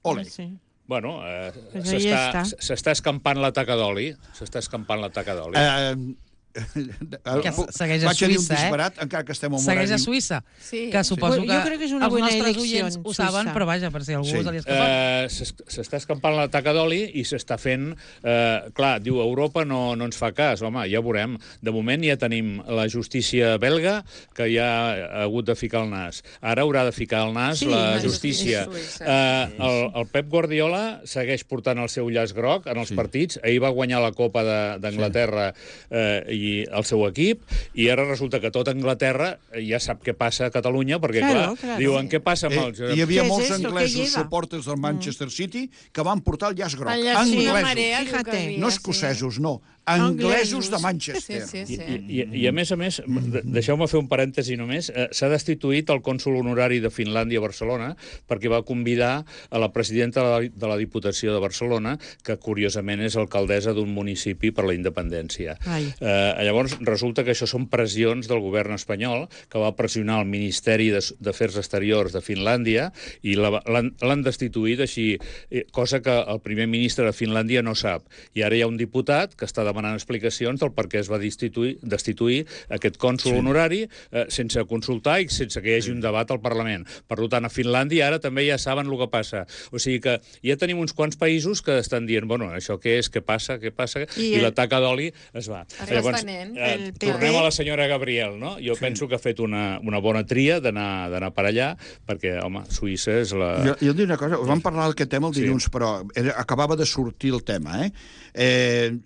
Ole. Sí. Bueno, eh, Pues ahí s'està està. s'està escampant la taca d'oli. S'està escampant la taca d'oli. Eh, Que segueix a Vaig a dir un Suïssa, eh? disbarat, encara que estem en Segueix a horari- Suïssa, Sí. que suposo Bueno, que jo crec que és una els bona nostres elecció, oients ho saben, Suïssa. però vaja, per si a algú Sí. se li escapa. Eh, s'es- S'està escampant la taca d'oli i s'està fent... Eh, clar, diu, Europa no, no ens fa cas. Home, ja veurem. De moment ja tenim la justícia belga, que ja ha hagut de ficar el nas. Ara haurà de ficar el nas Sí, la la justícia. justícia suïssa. Eh, el, el Pep Guardiola segueix portant el seu llaç groc en els sí. partits. Ahir va guanyar la Copa de- d'Anglaterra eh, i el seu equip, i ara resulta que tota Anglaterra ja sap què passa a Catalunya, perquè, Claro, clar, claro. diuen què passa amb Eh, els... hi havia Què és molts esto? Què anglesos lleva? suporters del Manchester City que van portar el llaç groc. El llaç Sí. una Anglesos. marea, diu que Fíjate. havia, No sí. escocesos, no. Anglesos de Manchester. Sí, sí, I, sí. i, I, a més a més, de- deixeu-me fer un parèntesi només, eh, s'ha destituït el cònsol honorari de Finlàndia a Barcelona perquè va convidar a la presidenta de la, de la Diputació de Barcelona, que curiosament és alcaldessa d'un municipi per la independència. Ai. Eh, llavors, resulta que això són pressions del govern espanyol, que va pressionar el Ministeri de- d'Afers Exteriors de Finlàndia i la- l'han l'han destituït així, eh, cosa que el primer ministre de Finlàndia no sap. I ara hi ha un diputat que està demanant explicacions del per què es va destituir, destituir aquest cònsol sí. honorari eh, sense consultar i sense que hi hagi un debat al Parlament. Per tant, a Finlàndia ara també ja saben el que passa. O sigui que ja tenim uns quants països que estan dient, bueno, això què és, què passa, què passa, i, I i el- la taca d'oli es va. Es va estenent. eh, El P P tornem a la senyora Gabriel, no? Jo sí. penso que ha fet una, una bona tria d'anar d'anar per allà, perquè, home, Suïssa és la... Jo, jo et diré una cosa, us vam parlar d'aquest tema el Sí. dilluns, sí. però era, acabava de sortir el tema, eh? eh?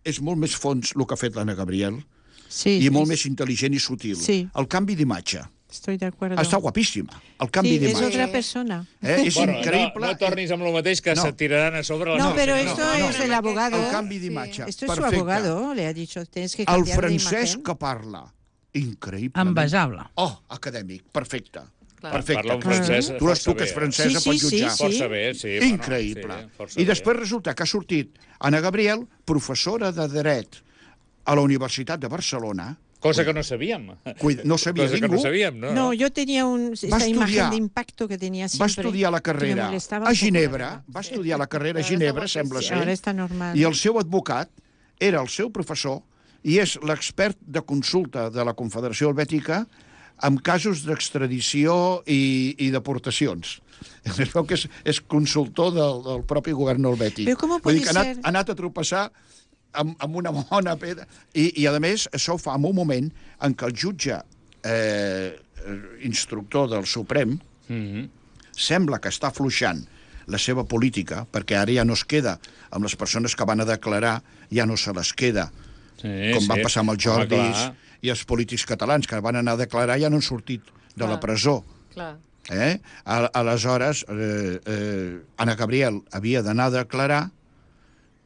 És molt més fons el que ha fet l'Anna Gabriel Sí, i sí, molt sí. més intel·ligent i sutil. Sí. El canvi d'imatge. Estoy de acuerdo. Està guapíssima, el canvi Sí, es d'imatge. otra persona. Eh? És Bueno, increïble. no, no tornis amb el mateix, que No. no. se tiraran a sobre les No, coses. pero No, esto no, es el abogado. El canvi d'imatge. Esto es su Perfecte. abogado, le ha dicho, tienes que El cambiar de francès imagen. que parla, increïble. Envejable. Oh, acadèmic, perfecte. Clar. Perfecte. Parla un francès Tu les força tu que és bé, eh? francesa Sí, pots sí, sí, jutjar. sí. Força bé, sí. Increïble. Bueno, sí, força I bé. després resulta que ha sortit Anna Gabriel, professora de dret a la Universitat de Barcelona. Cosa que no sabíem. Cuida, no sabia Cosa que ningú. no sabíem, no? No, yo tenía un, esta Va estudiar- imagen de impacto que tenía siempre. Va estudiar la que me carrera molestaba a un poco, Ginebra, la verdad. va estudiar la carrera a Ara Ginebra, està sembla sí, ser, Ahora está normal. i el seu advocat era el seu professor i és l'expert de consulta de la Confederació Helvètica en casos d'extradició i, i deportacions. Es veu que és, és consultor del, del propi govern helvètic. Però com Vull pot dir que ha anat, ser? ha anat a tropeçar amb, amb una bona pedra. I, I, a més, això ho fa en un moment en què el jutge eh, instructor del Suprem Mhm. sembla que està afluixant la seva política, perquè ara ja no es queda amb les persones que van a declarar, ja no se les queda, Sí, com sí. va passar amb els Home, Jordis clar. i els polítics catalans, que van anar a declarar ja no han sortit de la Clar. presó. Clar. Eh? A- Aleshores, eh, eh, Anna Gabriel havia d'anar a declarar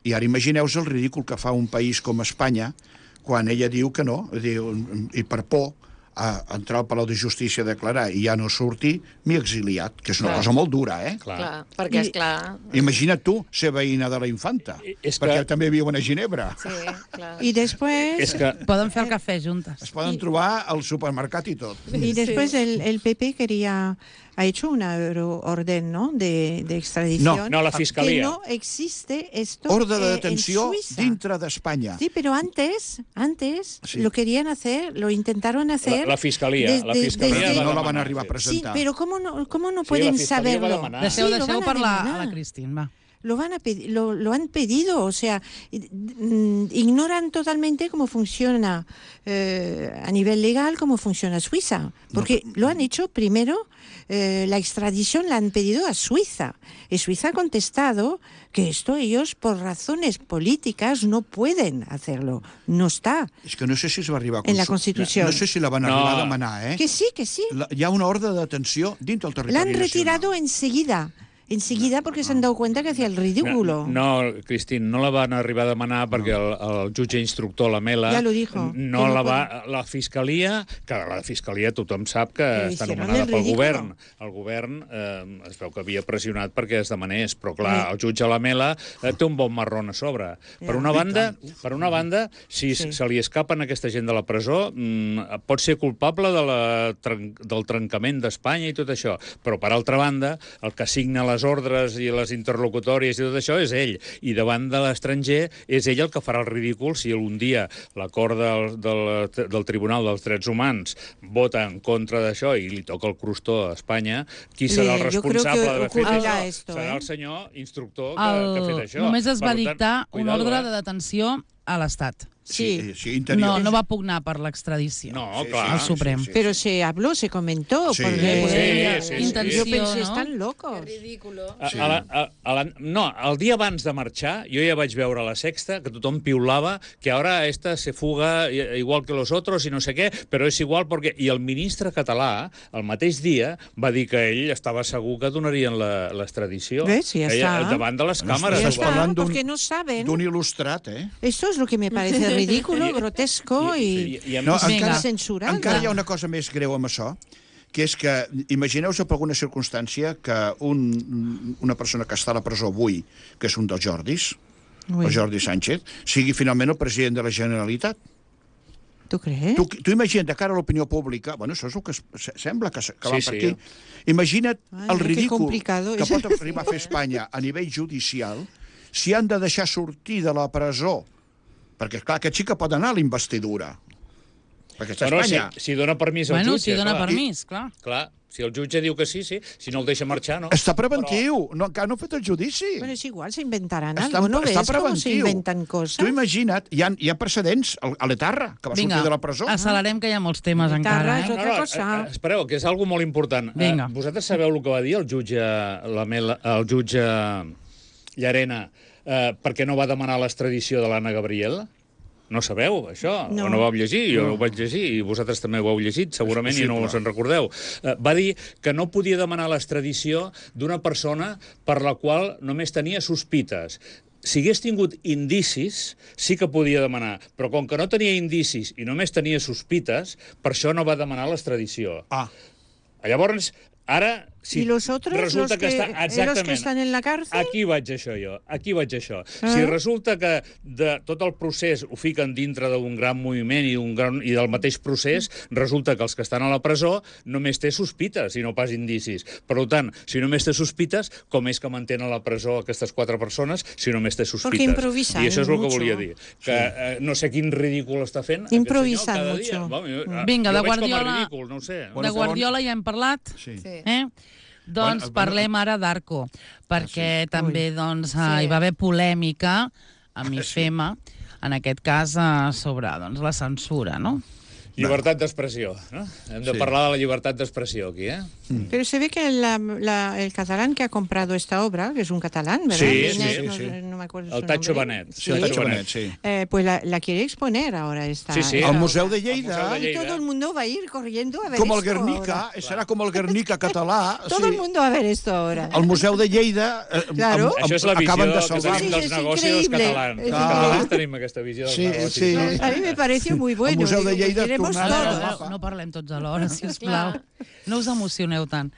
i ara imagineu-vos el ridícul que fa un país com Espanya quan ella diu que no, diu, i per por a entrar al Palau de Justícia a declarar i ja no sortir, m'he exiliat, que és una Clar. cosa molt dura, eh? Clar. Clar. Perquè, I- és clar... Imagina't tu ser veïna de la infanta, I- és perquè que- també viuen a Ginebra. Sí, clar. Y después, És que... Poden fer el cafè juntes. Es poden trobar al supermercat i tot. y después el, el P P quería, ha hecho una orden, ¿no? De, de extradición. No, no, la Que Fiscalia. no existe esto Ordre de eh, detenció en Suiza. dintre d'Espanya. Sí, pero antes, antes Sí. lo querían hacer, lo intentaron hacer. La, la Fiscalia. desde- la Fiscalia desde- No la demanar, van arribar a sí. presentar. Sí, pero ¿cómo no, cómo no Sí, pueden la Fiscalia va saberlo? demanar. Deixeu, Sí, lo deixeu van a parlar a demanar. la Cristín, va. lo, van a pedir, lo, lo han pedido, o sea, ignoran totalmente cómo funciona eh, a nivel legal, cómo funciona Suiza, porque no, lo han hecho primero, eh, la extradición la han pedido a Suiza, y Suiza ha contestado que esto ellos, por razones políticas, no pueden hacerlo, no está. És que no sé si es va arribar a en la Constitució. No sé si la van no. arribar a demanar, eh? Que sí, que sí. La, hi ha una ordre de detenció dins del territori La han nacional. retirado enseguida. Enseguida porque se han dado cuenta que hacía el ridículo. No, no, Cristín, no la van arribar a demanar perquè el, el jutge instructor, la Mela... Ja lo dijo. No no la va... puede. La fiscalia... Que la fiscalia tothom sap que Però està hicieron nomenada el pel ridículo. govern. El govern eh, es veu que havia pressionat perquè es demanés, però clar, Sí. el jutge la Mela eh, té un bon marrón a sobre. Per Ja. una banda, per una banda si Sí. se li escapen aquesta gent de la presó, mm, pot ser culpable de la, tren del trencament d'Espanya i tot això, però per altra banda, el que signa les ordres i les interlocutòries i tot això és ell, i davant de l'estranger és ell el que farà el ridícul si un dia l'acord del, del, del Tribunal dels Drets Humans vota en contra d'això i li toca el crostó a Espanya, qui serà el Le- yo creo responsable que d'haver fet ocurrirà això? esto, Serà eh? el senyor instructor que, El... que ha fet això. Només es va Per tant, dictar un cuidado, ordre eh? de detenció a l'Estat. Sí, sí, No, interior. no va pugnar per l'extradició. No, Sí, clar. Al Suprem. sí, sí. Pero se habló, se comentó. Sí. Porque Sí, sí, sí. Intenció, yo pensé, no? están locos. Ridículo. A, a la, a, a la, no, el dia abans de marxar, jo ja vaig veure a la Sexta que tothom piulava que ara esta se fuga igual que los otros i no sé què, però és igual perquè... I el ministre català, el mateix dia, va dir que ell estava segur que donarien l'extradició. ¿Ves? Ja Ella, està. davant de les No, càmeres. Ya estàs está, parlant d'un- porque no saben. D'un il·lustrat, eh? Esto es lo que me parece ridículo, grotesco y, I, i a No, més, Vinga. encara, censurado. encara hi ha una cosa més greu amb això, que és que, imagineu-vos per alguna circumstància que un, una persona que està a la presó avui, que és un dels Jordis, Uy, el Jordi Sánchez, sigui finalment el president de la Generalitat. ¿Tú crees? Tu, tu imagina't, de cara a l'opinió pública, bueno, això és el que es, se- sembla que, se- que Sí, va per sí. aquí. Imagina't Ai, el que ridícul complicado que és. pot arribar a fer Espanya a nivell judicial si han de deixar sortir de la presó. Perquè, clar, aquest sí que pot anar a la investidura. Perquè està a Bueno, si, Espanya. si dona permís al Bueno, jutge, si dona clar. permís, clar. Clar, si el jutge diu que sí, sí. Si no el deixa marxar, no. Està preventiu, no, encara no ha fet el judici. Bueno, es igual, se inventarán Està, algo. ¿No està ves cómo se preventiu. inventan cosas? Tu imagina't, hi ha, hi ha precedents al- a l'Etarra, que va Vinga, sortir de la presó. accelerem, que hi ha molts temes Guitarra encara. és Eh? otra cosa. eh, espereu, que és algo molt important. Vinga. Eh, vosaltres sabeu el que va dir el jutge, la Mela, el jutge Llarena eh, perquè no va demanar l'extradició de l'Anna Gabriel? No sabeu, això? No. O no ho vau llegir? Jo no. ho vaig llegir i vosaltres també ho heu llegit, segurament, És i no possible. us en recordeu. Eh, va dir que no podia demanar l'extradició d'una persona per la qual només tenia sospites. Si hagués tingut indicis, sí que podia demanar, però com que no tenia indicis i només tenia sospites, per això no va demanar l'extradició. Ah, Llavors, ara... Si ¿Y los otros, resulta los que, està, eh, los exactament, que están en la cárcel? Aquí vaig això jo, aquí vaig això. Ah. Si resulta que de tot el procés ho fiquen dintre d'un gran moviment i, un gran, i del mateix procés, resulta que els que estan a la presó només té sospites i no pas indicis. Per tant, si només té sospites, com és que mantenen a la presó aquestes quatre persones si només té sospites? Porque improvisan I això és el que mucho. volia dir. Que eh, no sé quin ridícul està fent Improvisan aquest senyor cada dia. mucho. Bueno, jo, Vinga, jo de veig com a Guardiola- ridícul, no ho sé. Bueno, De Guardiola ja hem parlat. sí. Sí. Eh? Doncs Bueno, parlem ara d'Arco, perquè també doncs, Sí. hi va haver polèmica amb IFEMA, en aquest cas eh, sobre doncs, la censura, no? Llibertat d'expressió, no? Hem de Sí. parlar de la llibertat d'expressió aquí, eh? Pero se ve que la- la- el catalán que ha comprado esta obra, que es un catalán, ¿verdad? Sí, Benet, sí, no, sí. no me acuerdo El su Tacho nombre. Benet. Sí, el Tacho Benet, sí. Eh, pues la, la quiere exponer ahora esta. Sí, sí. esta Al obra. Museu de Al Museu Lleida, de Y todo el mundo va a ir corriendo a ver com el esto Guernica, ahora. serà com el Guernica català. Todo el mundo va a ver esto ahora. El Museu de Lleida eh, Claro. amb, amb, Això és la visió acaben de que salvar. tenim Sí, dels és negocis increïble. catalans. És Els increïble. catalans tenim aquesta visió dels Sí, negocis. sí. no? A mí me pareció muy bueno. Museu de Digo, Lleida queremos tornant Ara, al todo. mapa. no parlem tots alhora, sisplau. No us emocioneu tant.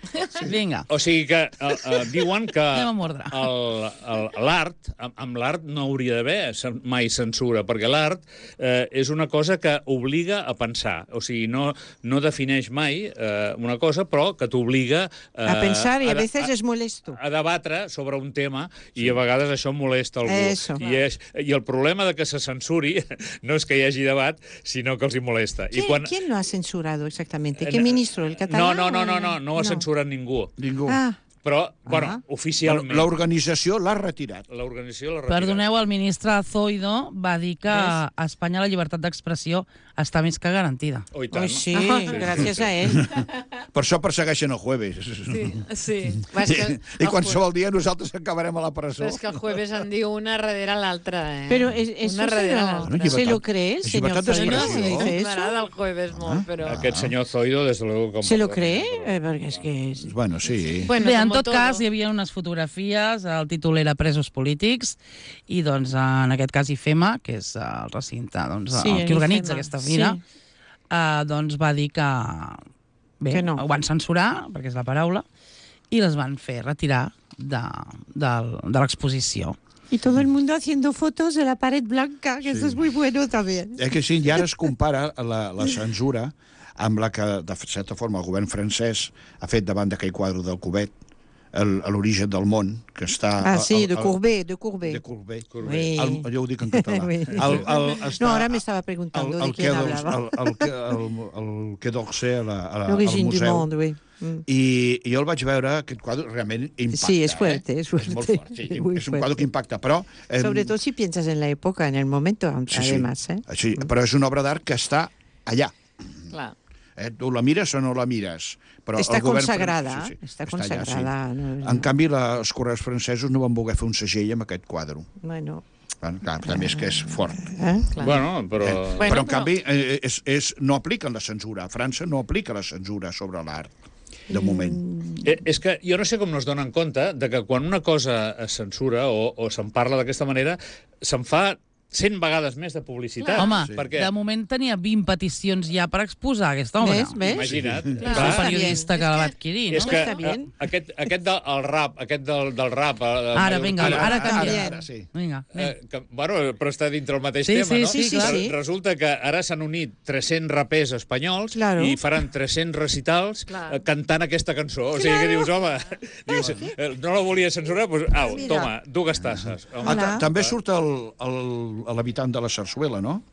Vinga. O sigui que uh, uh, diuen que Anem amb ordre. el- el- l'art, amb, amb l'art no hauria d'haver cen- mai censura, perquè l'art eh, és una cosa que obliga a pensar. O sigui, no, no defineix mai eh, una cosa, però que t'obliga eh, A pensar y a de- veces es molesto. a debatre sobre un tema i a vegades això molesta algú. Eso. I, és, I el problema de que se censuri no és que hi hagi debat, sinó que els hi molesta. ¿Quién, I quan... quién lo ha censurado exactamente? Eh, ¿Qué ministro? ¿El catalán? No, no, no, o no, el- no, no ho ha censurat ningú. Ningú. Ah, Però, bueno, Ah. oficialment... L'organització l'ha retirat. L'organització l'ha retirat. Perdoneu, el ministre Zoido va dir que Ves? a Espanya la llibertat d'expressió està més que garantida. Oh, i tant. Oi, sí, Ah. gràcies a ell. Per això persegueixen el jueves. Sí, sí. Va, és I, que I qualsevol dia nosaltres acabarem a la presó. Però és que el jueves en diu una darrere l'altra, eh? Pero es, eso una se darrere lo, l'altra. Bueno, se lo cree el es señor libertad de Zoido, No, expresión. sí, ¿dice eso? m'agrada el jueves molt, però... Aquest senyor Zoido, des de luego... Com ¿Se lo cree? Eh, porque es que... es- Bueno, sí. Bueno, Bé, en como tot todo. cas, hi havia unes fotografies, el títol era Presos polítics, i doncs en aquest cas I F E M A, que és el recinte, doncs, Sí, el que organitza I F E M A, aquesta fira, sí. eh, doncs va dir que, bé, Que no. ho van censurar, perquè és la paraula, i les van fer retirar de, de, de l'exposició. Y todo el mundo haciendo fotos de la pared blanca, que eso es muy bueno también. Eh que sí, i ara es compara la, la censura amb la que, de certa forma, el govern francès ha fet davant d'aquell quadre del Courbet, el- l'origen del món, que està... Ah, sí, el- de el- Courbet, de Courbet. De Courbet. Oui. El, jo ho dic en català. Oui. El, el, està, No, ahora me estaba preguntando de quién hablaba. El, el, el, el Quai d'Orsay a la- a la- al L'origine du museu. monde, oui. Mm. I, I jo el vaig veure, aquest quadre realment impacta. Sí, és fuerte, eh? és fuerte. És molt fort, sí. Muy És un fuerte. quadre que impacta, però... Eh, Sobre todo si piensas en la época, en el momento, sí, además. ¿eh? Sí, però és una obra d'art que està allà. Clar. Eh? Tu la mires o no la mires. Però Està el govern consagrada, francès- està allà, consagrada, no- En canvi, la, els correus francesos no van voler fer un segell amb aquest quadre. Bueno, Bueno, clar, també és que és fort. ¿eh? Clar. Bueno, però... Eh? Bueno, però, en però- canvi, eh, és, és, no apliquen la censura. A França no aplica la censura sobre l'art, de moment. Eh, és que jo no sé com no es donen compte de que quan una cosa es censura o, o se'n parla d'aquesta manera, se'n fa cent vegades més de publicitat. Home, sí. perquè... de moment tenia vint peticions ja per exposar aquesta obra. ¿Ves? ¿Ves? Imagina't. Clar. És Clar, el periodista És que la va que- adquirir, és no? que Està bien. eh, aquest, aquest del el rap, aquest del, del rap... eh, Ara, vinga, mallorquí, ara ara, canviem. ara, sí. Vinga, anem. Eh, que, bueno, però està dintre el mateix Sí, tema, sí, no? sí, sí, clar. Re- Resulta que ara s'han unit tres-cents rapers espanyols Claro. i faran tres-cents recitals Clar. eh, cantant aquesta cançó. O sigui, que dius, home, dius, eh, no la volia censurar? Doncs, au, Mira. toma, dues tasses. Home, Ah, ta- Hola. també surt el- el- l'habitant de la Sarsuela, no?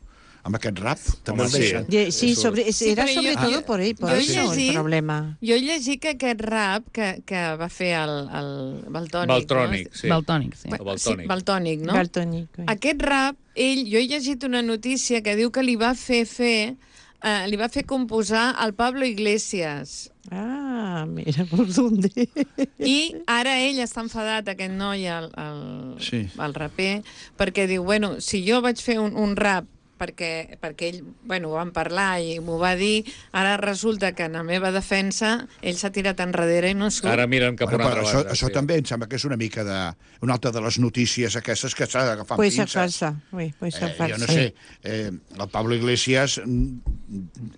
Amb aquest rap. També Home, el sí. deixen. Ye- Sí, Eso. sobre, Sí, era però sobre jo- todo jo- por ahí, por jo he eso el llegit- problema. Jo he llegit que aquest rap que, que va fer el, el Baltònic... Baltrònic, no? sí. Baltònic, sí. El Sí, Baltònic. Baltònic, no? Baltonic, oui. Aquest rap, ell, jo he llegit una notícia que diu que li va fer fer, eh, li va fer composar al Pablo Iglesias. Ah, mira por dónde. I ara ell està enfadat, aquest noi, el, el, Sí. el raper, perquè diu, bueno, si jo vaig fer un, un rap perquè, perquè ell, bueno, ho vam parlar i m'ho va dir, ara resulta que en la meva defensa ell s'ha tirat enrere i no surt. Ara miren cap a Bueno, una però altra això, banda. això sí. també em sembla que és una mica de... Una altra de les notícies aquestes que s'ha d'agafar amb Puede ser pinces. falsa, oui, puede ser Eh, falsa. jo no sé, eh, el Pablo Iglesias mm,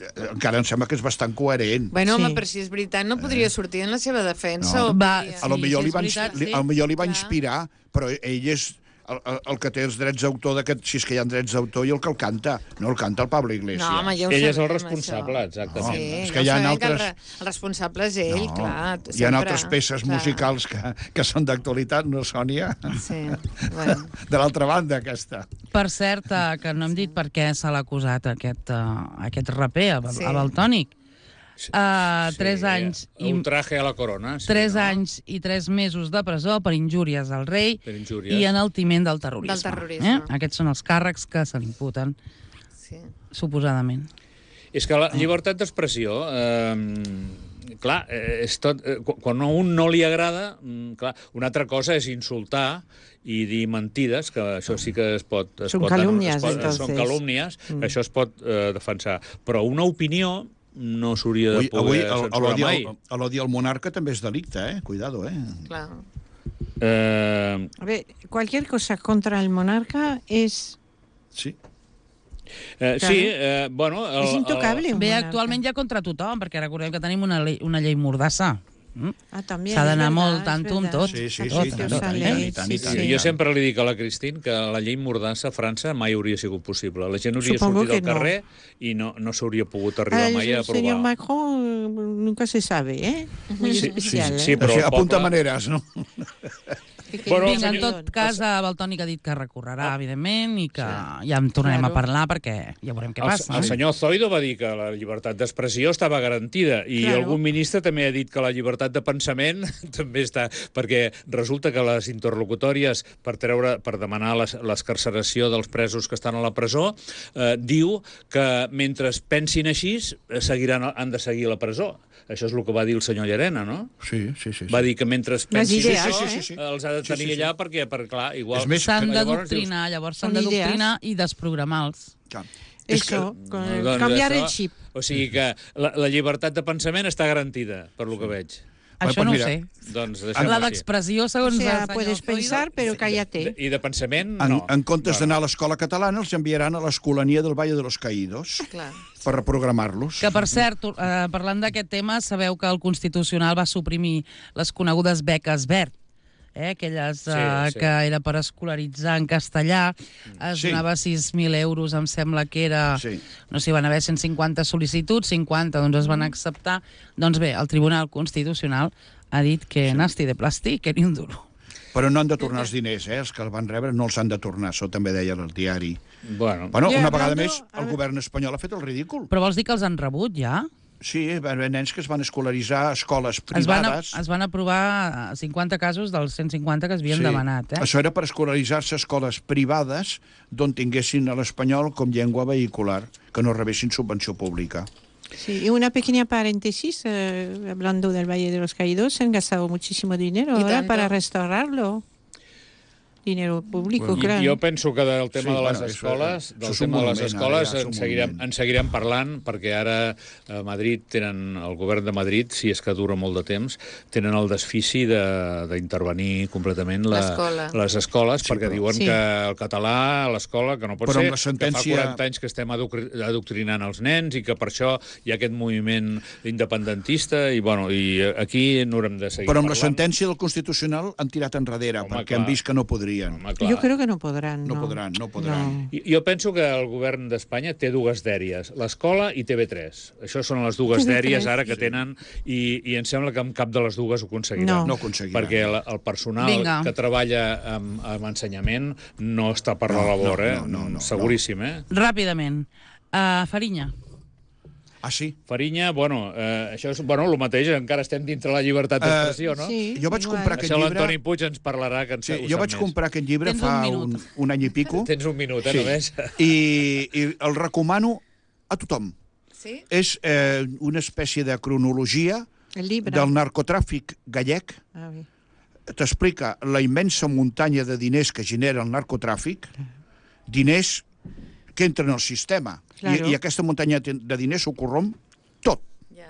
eh, encara em sembla que és bastant coherent. Bueno, home, Sí. però si és veritat, no podria sortir en la seva defensa. No. O Va, podria... A lo Sí, millor sí, li és va, veritat, li, sí. a lo millor li va Clar. inspirar, però ell és el, el, el que té els drets d'autor, d'aquest- si és que hi ha drets d'autor, i el que el canta. No el canta el Pablo Iglesias. No, home, ja ho Ell és el sabem, responsable, això. exactament. Sí, és ja que ho hi ha sabem que el, altres- re- el responsable és ell, No, clar. hi ha sempre, altres peces clar. musicals que, que són d'actualitat, no, Sònia? Sí, bueno. De l'altra banda, aquesta. Per cert, eh, que no hem dit per què se l'ha acusat aquest, uh, aquest raper, a, Sí. sí. a Baltònic. Uh, tres anys i Un traje a la corona. Sí, tres no? anys i tres mesos de presó per injúries al rei Per injúries. i enaltiment del terrorisme. Del terrorisme. Eh? Aquests són els càrrecs que se l'imputen, Sí. suposadament. És que la llibertat d'expressió, eh, clar, eh, és tot, eh, qu- quan a un no li agrada, mm, clar, una altra cosa és insultar i dir mentides, que això sí que es pot... Es Són pot calúmnies, es pot, entonces. Són calúmnies, mm. això es pot eh, defensar. Però una opinió no s'hauria de Avui, poder avui el- censurar l'odi mai. al, a l'odi al monarca també és delicte, eh? Cuidado, eh? Clar. Eh, A ver, cualquier cosa contra el monarca es, Sí. eh, Claro. sí, eh, bueno... El, es intocable. un Bé, monarca. actualment ja contra tothom, perquè recordem que tenim una, llei, una llei mordassa. Mm? Ah, también, S'ha es d'anar verdad, molt es tanto amb verdad. tot. Sí, sí, Tot, sí, tot, tant, tot. i tant, i tant, i tant, i Sí, tant. sí. Jo sempre li dic a la Cristín que la llei Mordassa a França mai hauria sigut possible. La gent hauria Supongo sortit al que no. carrer i no, no s'hauria pogut arribar Ah, mai a el señor aprovar. Macron nunca se sabe, ¿eh? Muy Sí, sí, especial, sí, ¿eh? però Així, el apunta poble- maneres, no? que Bueno, Vinga, en senyor- tot cas, el Valtònic ha dit que recorrerà, evidentment, i que Sí. ja en tornarem Claro. a parlar perquè ja veurem què El, passa. el senyor Zoido va dir que la llibertat d'expressió estava garantida i Claro. algun ministre també ha dit que la llibertat de pensament també està... Perquè resulta que les interlocutòries per treure per demanar les- l'escarceració dels presos que estan a la presó eh, diu que mentre pensin així eh, seguiran, han de seguir a la presó. Això és el que va dir el senyor Llarena, no? Sí, sí, sí. sí. Va dir que mentre pensin idees, això, sí, sí, sí, sí. els ha de Sí, tenir sí, sí. allà perquè, per, clar, igual... És més, S'han que llavors d'adoctrinar, llavors s'han Són idees. d'adoctrinar i desprogramar-los. Clar. És que, Eso, con el- Doncs cambiar això- el chip. O sigui que la, la llibertat de pensament està garantida, per lo que veig. Això pues no mira, ho sé. Doncs deixem-ho La així. d'expressió, O segons sea, el senyor puedes Zoido, pensar, pero cállate. I de pensament, en, no. en comptes d'anar a l'escola catalana, els enviaran a l'Escolania del Valle de los Caídos Clar. per reprogramar-los. Que, per cert, eh, parlant d'aquest tema, sabeu que el Constitucional va suprimir les conegudes beques Verd, eh, aquelles eh, Sí, sí. que era per escolaritzar en castellà, es Sí. donava sis mil euros, em sembla que era... Sí. No sé, van haver cent cinquanta sol·licituds, cinquanta doncs es van acceptar. Doncs bé, el Tribunal Constitucional ha dit que sí. nasti de plàstic, que ni un duro. Però no han de tornar els diners, eh? Els que el van rebre no els han de tornar, això també deia el diari. Bueno, Bueno, Ja, una vegada hablando- més, el govern espanyol ha fet el ridícul. Però vols dir que els han rebut, ja? Sí, hi va haver nens que es van escolaritzar a escoles Es van, privades. es van aprovar cinquanta casos dels cent cinquanta que es havien Sí. demanat, eh? Això era per escolaritzar-se a escoles privades d'on tinguessin l'espanyol com llengua vehicular, que no rebessin subvenció pública. Sí, y una pequeña paréntesis, eh, hablando del Valle de los Caídos, se han gastado muchísimo dinero Y ahora tanto. para restaurarlo. Dinero público, Bueno, claro. jo penso que del tema Sí, de les bueno, això- escoles, això del és un tema de les monument, escoles ara ja és en un seguirem, monument. en seguirem parlant, perquè ara a Madrid tenen, el govern de Madrid, si és que dura molt de temps, tenen el desfici de- d'intervenir completament la, L'escola. les escoles, Sí, perquè però- diuen Sí. que el català a l'escola, que no pot Però amb ser, la sentència- que fa quaranta anys que estem adocri- adoctrinant els nens i que per això hi ha aquest moviment independentista i, bueno, i aquí no haurem de seguir Però amb la parlant. sentència del Constitucional han tirat enrere, Home, perquè clar. han vist que no podrien. Home, clar. Yo creo que no podrán. No No, podran, no podran. No. I- Jo penso que el govern d'Espanya té dues dèries, l'escola i T V tres. Això són les dues T V tres. dèries ara que tenen i, i em sembla que amb cap de les dues ho aconseguiran. No. No aconseguiran. Perquè el, el personal Vinga. que treballa amb, amb ensenyament no està per la No, labor, no, eh? no, no, no, Seguríssim, eh? Ràpidament. Uh, Farinya. Ah, sí? Farinya, bueno, eh, això és bueno, el mateix, encara estem dintre la llibertat Eh, d'expressió, no? Sí, Jo vaig igual. comprar aquest Això llibre... l'Antoni Puig ens parlarà, que en Sí, ho jo sap vaig més. comprar aquest llibre Tens fa un un, minut. un any i pico. Tens un minut, eh, Sí. només. I, I el recomano a tothom. Sí? És eh, una espècie de cronologia El libro. del narcotràfic gallec. Ah, oui. T'explica la immensa muntanya de diners que genera el narcotràfic, diners que entren al sistema. Claro. I, I aquesta muntanya de diners ho corromp tot. Ja.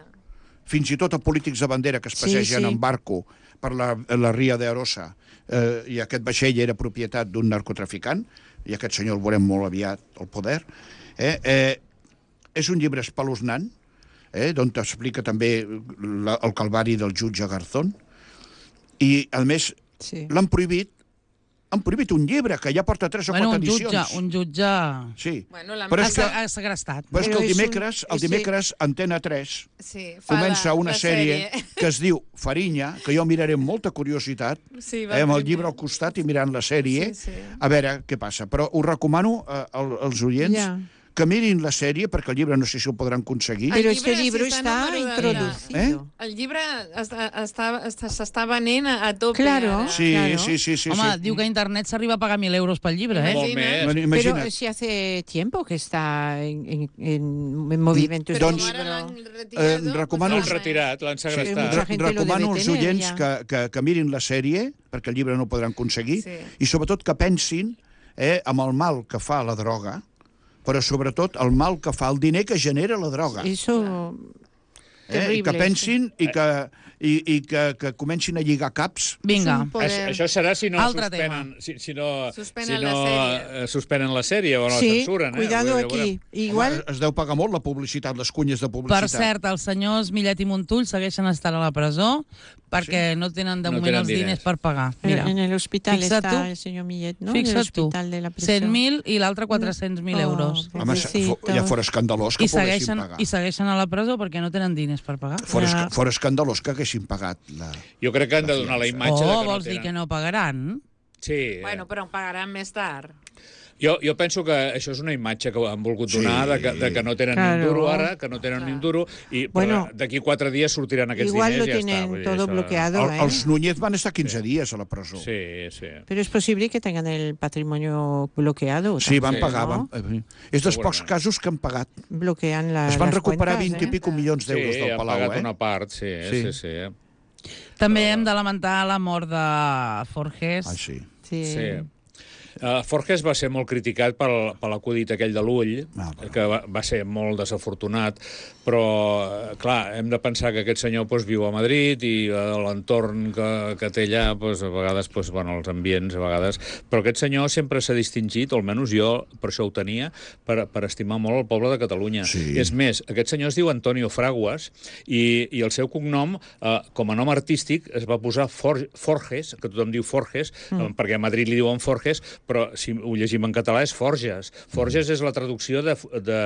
Fins i tot a polítics de bandera que es Sí, passegen sí. en barco per la, la ria d'Arosa, eh, i aquest vaixell era propietat d'un narcotraficant, i aquest senyor el veurem molt aviat al poder. Eh? Eh, és un llibre espeluznant, eh, d'on t'explica també la, el calvari del jutge Garzón, i, a més, Sí. l'han prohibit, han prohibit un llibre que ja porta tres o Bueno, quatre un jutge, edicions. un jutge... Sí, Bueno, la... però Ha, és que, ha segrestat. però és que Però el és un- dimecres, el sí. dimecres Antena tres Sí, fa comença la, una la sèrie, que es diu Farinya, que jo miraré amb molta curiositat, Sí, eh, va amb el primer. llibre al costat i mirant la sèrie, Sí, sí. a veure què passa. Però us recomano eh, al- als oients Ja. que mirin la sèrie, perquè el llibre no sé si el podran aconseguir. Ai, Pero El este libro libro sí está está número de- introducido. El llibre està, està, està, s'està venent a, a tope. Claro. Ara. Sí, Claro. sí, sí, sí. Home, sí. diu que a internet s'arriba a pagar mil euros pel llibre, eh? Molt Imagina. més. Pero Imagina't. si hace tiempo que está en, en, en, en movimiento Però este Doncs, com ara libro. l'han retirado, eh, recomano- L'han pues, retirat, l'han Sí, segrestat. mucha gente lo debe Recomano als tener, oients ja. que, que, que mirin la sèrie, perquè el llibre no ho podran aconseguir, Sí. i sobretot que pensin eh, amb el mal que fa la droga, però sobretot el mal que fa el diner que genera la droga. Eso... Eh? I terrible, que pensin i que, i, i que, que comencin a lligar caps. Vinga. És un poder. Això, això serà si no Altre suspenen, si, si no, Suspenen si la no sèrie. eh, suspenen la sèrie o no Sí, la censuren. cuidado eh? Vull dir, aquí. Igual... Home, es deu pagar molt la publicitat, les cunyes de Per publicitat. cert, els senyors Millet i Montull segueixen estant a la presó perquè no tenen de No moment tenen els diners diners. per pagar. Mira, Mira, en el hospital fixa't está tu. el señor Millet, ¿no? Fixa't en tu, el hospital de la prisión. cent mil i l'altre quatre-cents mil Oh, euros. Home, Pobrecitos. fo- ja fora escandalós que I poguessin segueixen, pagar. I segueixen a la presó perquè no tenen diners per pagar. Fora, Ja. esca- fora escandalós que haguessin pagat la... Jo crec que han de donar la imatge de Oh, que no vols dir tenen... que no pagaran? Sí, eh. Bueno, però en pagaran més tard. Jo, jo penso que això és una imatge que han volgut Sí. donar, de, que, de que no tenen Claro. ni un duro ara, que no tenen ni un duro, i Bueno, però d'aquí quatre dies sortiran aquests Igual diners lo i ja està. tienen Vull dir, todo això- bloqueado, El, ¿eh? els Núñez van estar quinze dies a la presó. Sí, sí. Pero es posible que tengan el patrimonio bloqueado. Sí, van también, pagar. ¿no? Van, eh, és dels pocs Segurament. casos que han pagat. Bloquean la, Es van las recuperar cuentas, vint i ¿eh? pico milions d'euros Sí, del han Palau, pagat eh? una part, sí, sí, Sí. sí. sí. També hem de lamentar la mort de Forges. Ah, sí. Sí. Sí. Uh, Forges va ser molt criticat pel, per l'acudit aquell de l'ull, Ah, bueno. que va, va ser molt desafortunat, però, eh, clar, hem de pensar que aquest senyor doncs, viu a Madrid i uh, l'entorn que, que té allà, doncs, a vegades, doncs, bueno, els ambients, a vegades... Però aquest senyor sempre s'ha distingit, o almenys jo per això ho tenia, per, per estimar molt el poble de Catalunya. Sí. És més, aquest senyor es diu Antonio Fraguas i, i el seu cognom, uh, com a nom artístic, es va posar For, Forges, que tothom diu Forges, mm. perquè a Madrid li diuen Forges, però si ho llegim en català és Forges. Forges és la traducció de, de,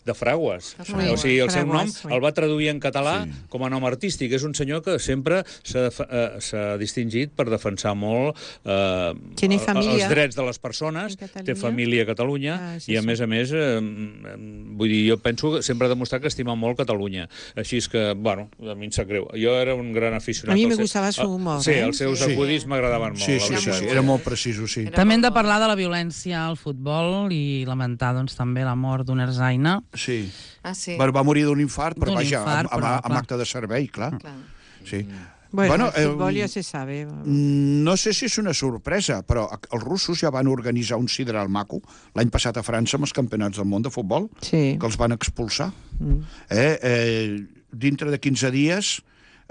de Fraguas. De Fraguas. O sigui, el seu nom Fraguas, sí. el va traduir en català Sí. com a nom artístic. És un senyor que sempre s'ha eh, s'ha distingit per defensar molt eh, Tiene familia els drets de les persones, en Catalunya. té família a Catalunya Ah, sí, i, a sí. més a més, eh, vull dir, jo penso que sempre ha demostrat que estima molt Catalunya. Així és que, bueno, a mi em sap greu. Jo era un gran aficionat. A mi al me seu- gustava su humor, Sí, eh? els seus Sí. acudits m'agradaven molt. Sí, la sí, sí, veritat. sí, era molt preciso, sí. Era També hem de molt bo. parlar de la violència al futbol i lamentar doncs, també la mort d'un erzaina. Sí. Ah, sí. Va, va morir d'un infart, però D'un vaja, infart, amb, amb, però, amb clar. acte de servei, clar. Clar. Sí. Bueno, Bueno, el fútbol eh, ya se sabe. Mm, No sé si és una sorpresa, però els russos ja van organitzar un sideral maco l'any passat a França amb els campionats del món de futbol, Sí. que els van expulsar. Mm. Eh, eh, dintre de quinze dies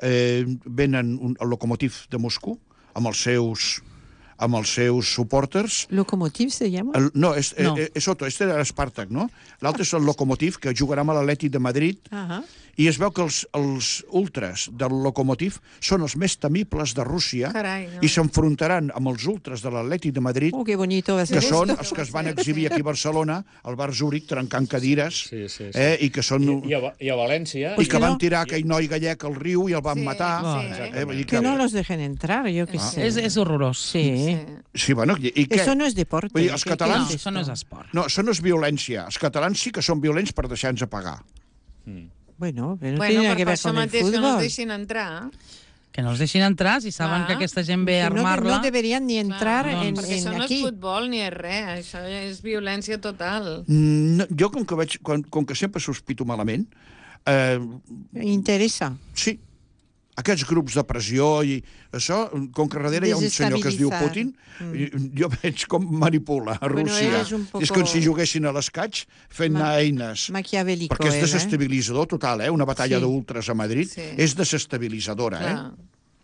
eh, venen un, el Lokomotiv de Moscou amb els seus amb els seus supporters. ¿Locomotiv se llama? El, no, és, No. no. És, és otro, este era l'Spartak, no? L'altre és el Lokomotiv, que jugarà amb l'Atlètic de Madrid, Ajá. i es veu que els, els ultras del Lokomotiv són els més temibles de Rússia. Carai, no. I s'enfrontaran amb els ultras de l'Atlètic de Madrid, Oh, qué bonito va a ser que esto. són els que es van exhibir aquí a Barcelona, al bar Zúrich, trencant cadires, Sí, sí, sí. Eh, i que són... I, i, a, I a València... I que que van no? tirar aquell noi gallec al riu i el van Sí, matar. sí. Eh, vull dir Que no los dejen entrar, yo qué sé. És, és horrorós. Sí. Sí. Sí, bueno, i, i què? Eso no es deporte. Vull dir, els ¿Qué- qué catalans- No, es això no és esto? esport. No, això no és violència. Els catalans sí que són violents per deixar-nos pagar. Bueno, pero no Bueno, tiene nada per que ver això con el mateix que no els fútbol. deixin entrar. Que no els deixin entrar si saben Clar. que aquesta gent ve a Que no, armar-la. no deberían ni entrar Clar, en, perquè en això no aquí. és futbol ni és res, això és violència total. Mm, no, jo, com que, veig, com, com que sempre sospito malament, eh, Interesa. sí, aquests grups de pressió i això, com que darrere hi ha un senyor que es diu Desestabilitzar. Putin, mm. jo veig com manipula a Bueno, Rússia. és un poco- És com si juguessin a l'escaig fent Ma- anar eines. Maquiavélico. Perquè és él, ¿eh? desestabilitzador total, eh? Una batalla Sí. d'ultras a Madrid Sí. és desestabilitzadora, eh? Clar.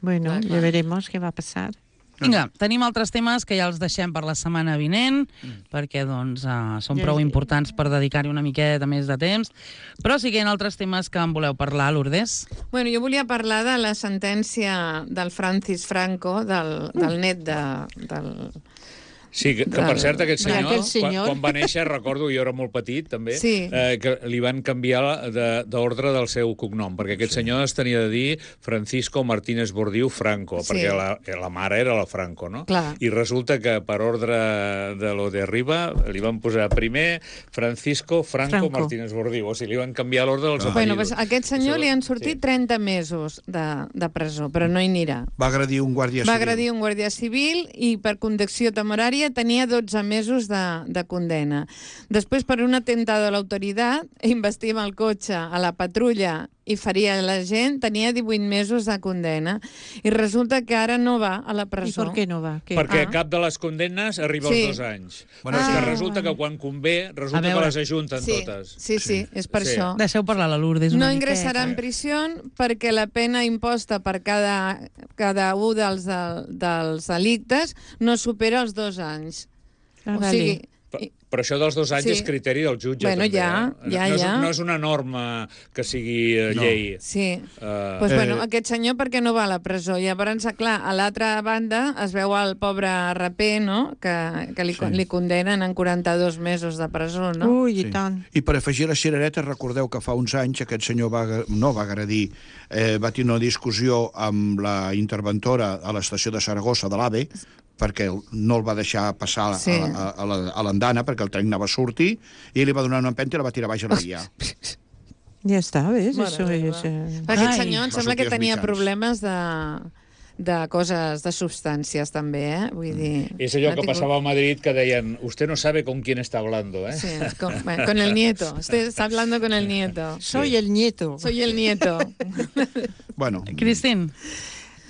Bueno, Clar, ya clar. veremos qué va a pasar. Vinga, tenim altres temes que ja els deixem per la setmana vinent, perquè doncs, uh, són Ja prou és- importants per dedicar-hi una miqueta més de temps. Però sí que hi ha altres temes que en voleu parlar, Lourdes. Bueno, jo volia parlar de la sentència del Francis Franco, del, del net de, del... Sí, que, que per cert, aquest Mira, senyor, aquell senyor. Quan, quan va néixer, recordo, jo era molt petit, també, Sí. eh, que li van canviar la- de- d'ordre del seu cognom, perquè aquest senyor es tenia de dir Francisco Martínez Bordiú Franco, Sí. perquè la, la mare era la Franco, no? Clar. I resulta que per ordre de lo de arriba li van posar primer Francisco Franco, Franco. Martínez Bordiú, o sigui, li van canviar l'ordre dels Ah. Bueno, apellidos. pues, a aquest senyor Això- li han sortit sí. trenta mesos de, de presó, però no hi anirà. Va agredir un guàrdia Va civil. agredir un guàrdia civil i per conducció temerària tenia dotze mesos de, de condena. Després, per un atentado a l'autoritat, investir amb el cotxe a la patrulla i feria la gent, tenia divuit mesos de condena. I resulta que ara no va a la ¿Y presó. por qué no va? ¿Qué? Perquè Ah. cap de les condemnes arriba Sí. als dos anys. Bueno, Bueno, és ah, que resulta vale. que quan convé, resulta A veure. que les ajunten Sí, totes. sí, sí, és per Sí. això. Deixeu parlar la Lourdes una No miqueta. ingressarà en prisió perquè la pena imposta per cada, cada un dels, dels delictes no supera els dos anys. Ah, o vale. sigui, Però, però això dels dos anys Sí. és criteri del jutge, Bueno, també. ja, eh? ja, no, és, ja. no és una norma que sigui eh, No. llei. Sí. Uh, Pues, bueno, Eh. aquest senyor per què no va a la presó? Llavors, clar, a l'altra banda es veu el pobre raper, no?, que, que li, Sí. li condenen en quaranta-dos mesos de presó, no? Ui, i Sí. tant. I per afegir les cireretes, recordeu que fa uns anys aquest senyor va, no va agredir, eh, va tenir una discussió amb la interventora a l'estació de Saragossa de l'AVE, perquè no el va deixar passar Sí. a, a, a l'andana, perquè el tren anava a sortir, i li va donar una empenta i la va tirar baix a la via. Ja està, ves? Mare Això meva. és... Eh... Aquest Ai. senyor em sembla que Masoquies tenia mitjans. problemes de, de coses, de substàncies, també, eh? Vull dir... és allò ha que tingut- passava a Madrid, que deien usted no sabe con quién está hablando, eh? Sí, con, bueno, con el nieto. Usted está hablando con el nieto. Soy el nieto. Soy el nieto. Bueno, Cristín.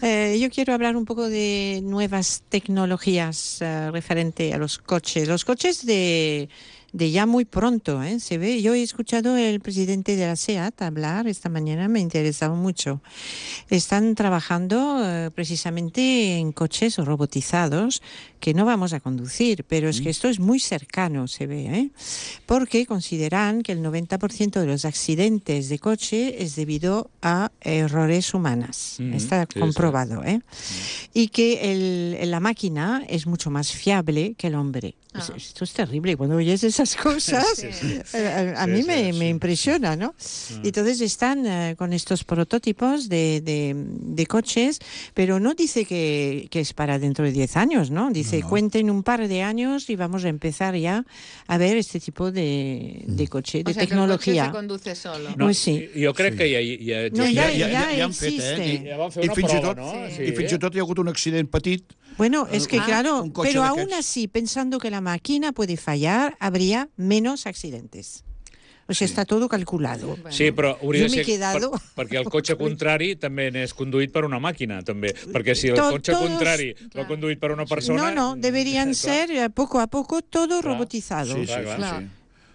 Eh, yo quiero hablar un poco de nuevas tecnologías eh, referente a los coches. Los coches de, de ya muy pronto, ¿eh? Se ve. Yo he escuchado el presidente de la SEAT hablar esta mañana, me ha interesado mucho. Están trabajando eh, precisamente en coches robotizados que no vamos a conducir, pero es que esto es muy cercano, se ve, ¿eh? Porque consideran que el noventa por ciento de los accidentes de coche es debido a errores humanos. Mm, Está sí, comprobado, ¿eh? Y que el, la máquina es mucho más fiable que el hombre. Ah. Esto es terrible. Cuando oyes esas cosas, Sí. a, a Sí, mí sí, me, sí. me impresiona, ¿no? Ah. Y entonces están eh, con estos prototipos de, de, de coches, pero no dice que, que es para dentro de diez años, ¿no? Dice, No, no. cuenten un par de años y vamos a empezar ya a ver este tipo de, de coche, de O sea, que el coche tecnología. se conduce solo. No. Pues sí. Jo crec que ja, ja, No, ja, ja- ja, ja han existe. fet, eh? ja van fer I una fins i prova, tot, no? Sí. I fins i tot hi ha hagut un accident petit. Bueno, es que Ah, claro, un coche pero de aún aquests. así, pensando que la máquina puede fallar, habría menos accidentes. O sea, está todo calculado. Bueno. Sí, però hauria Jo de m'he ser... quedado- Per, perquè el cotxe contrari també n'és conduït per una màquina, també. Perquè si el To- cotxe todos- contrari va Clar. conduït per una persona... No, no, deberían clar. ser eh, poco a poco todo Claro. robotizado. Sí, sí, Clar, sí, clar. sí.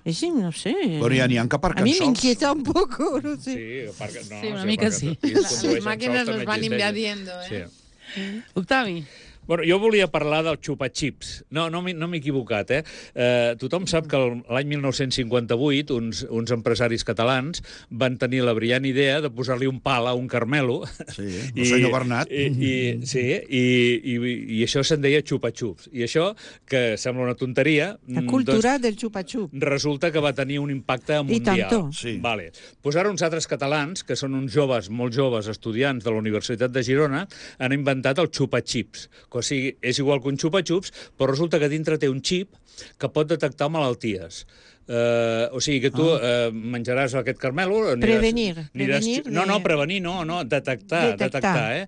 Eh, sí, no sé. Bueno, ja n'hi ha que A aparquen mí me sols. inquieta un poco, no sé. Sí, perquè, no, Sí, una mica perquè sí. aquí es Las condueixen máquinas sols, nos també van existeix. invadiendo, ¿eh? Sí. Octavi. Bueno, jo volia parlar del xupa-xips. No, no m'he no m'he equivocat, eh? eh? Tothom sap que el- l'any mil nou-cents cinquanta-vuit uns, uns empresaris catalans van tenir la brillant idea de posar-li un pal a un carmelo. Sí, el senyor Bernat. I, i, sí, i, i, i això se'n deia xupa-xups. I això, que sembla una tonteria... La mm, cultura del chupa-chup. resulta que va tenir un impacte mundial. tanto. Sí. Vale. Pues ara uns altres catalans, que són uns joves, molt joves, estudiants de la Universitat de Girona, han inventat el xupa-xips. O sigui, és igual que un xupa-xups, però resulta que dintre té un xip que pot detectar malalties. Uh, o sigui que tu uh, menjaràs aquest carmelo... Aniràs, Prevenir, Aniràs, prevenir no, no, de- prevenir, no, no, detectar, Detectar. detectar, eh?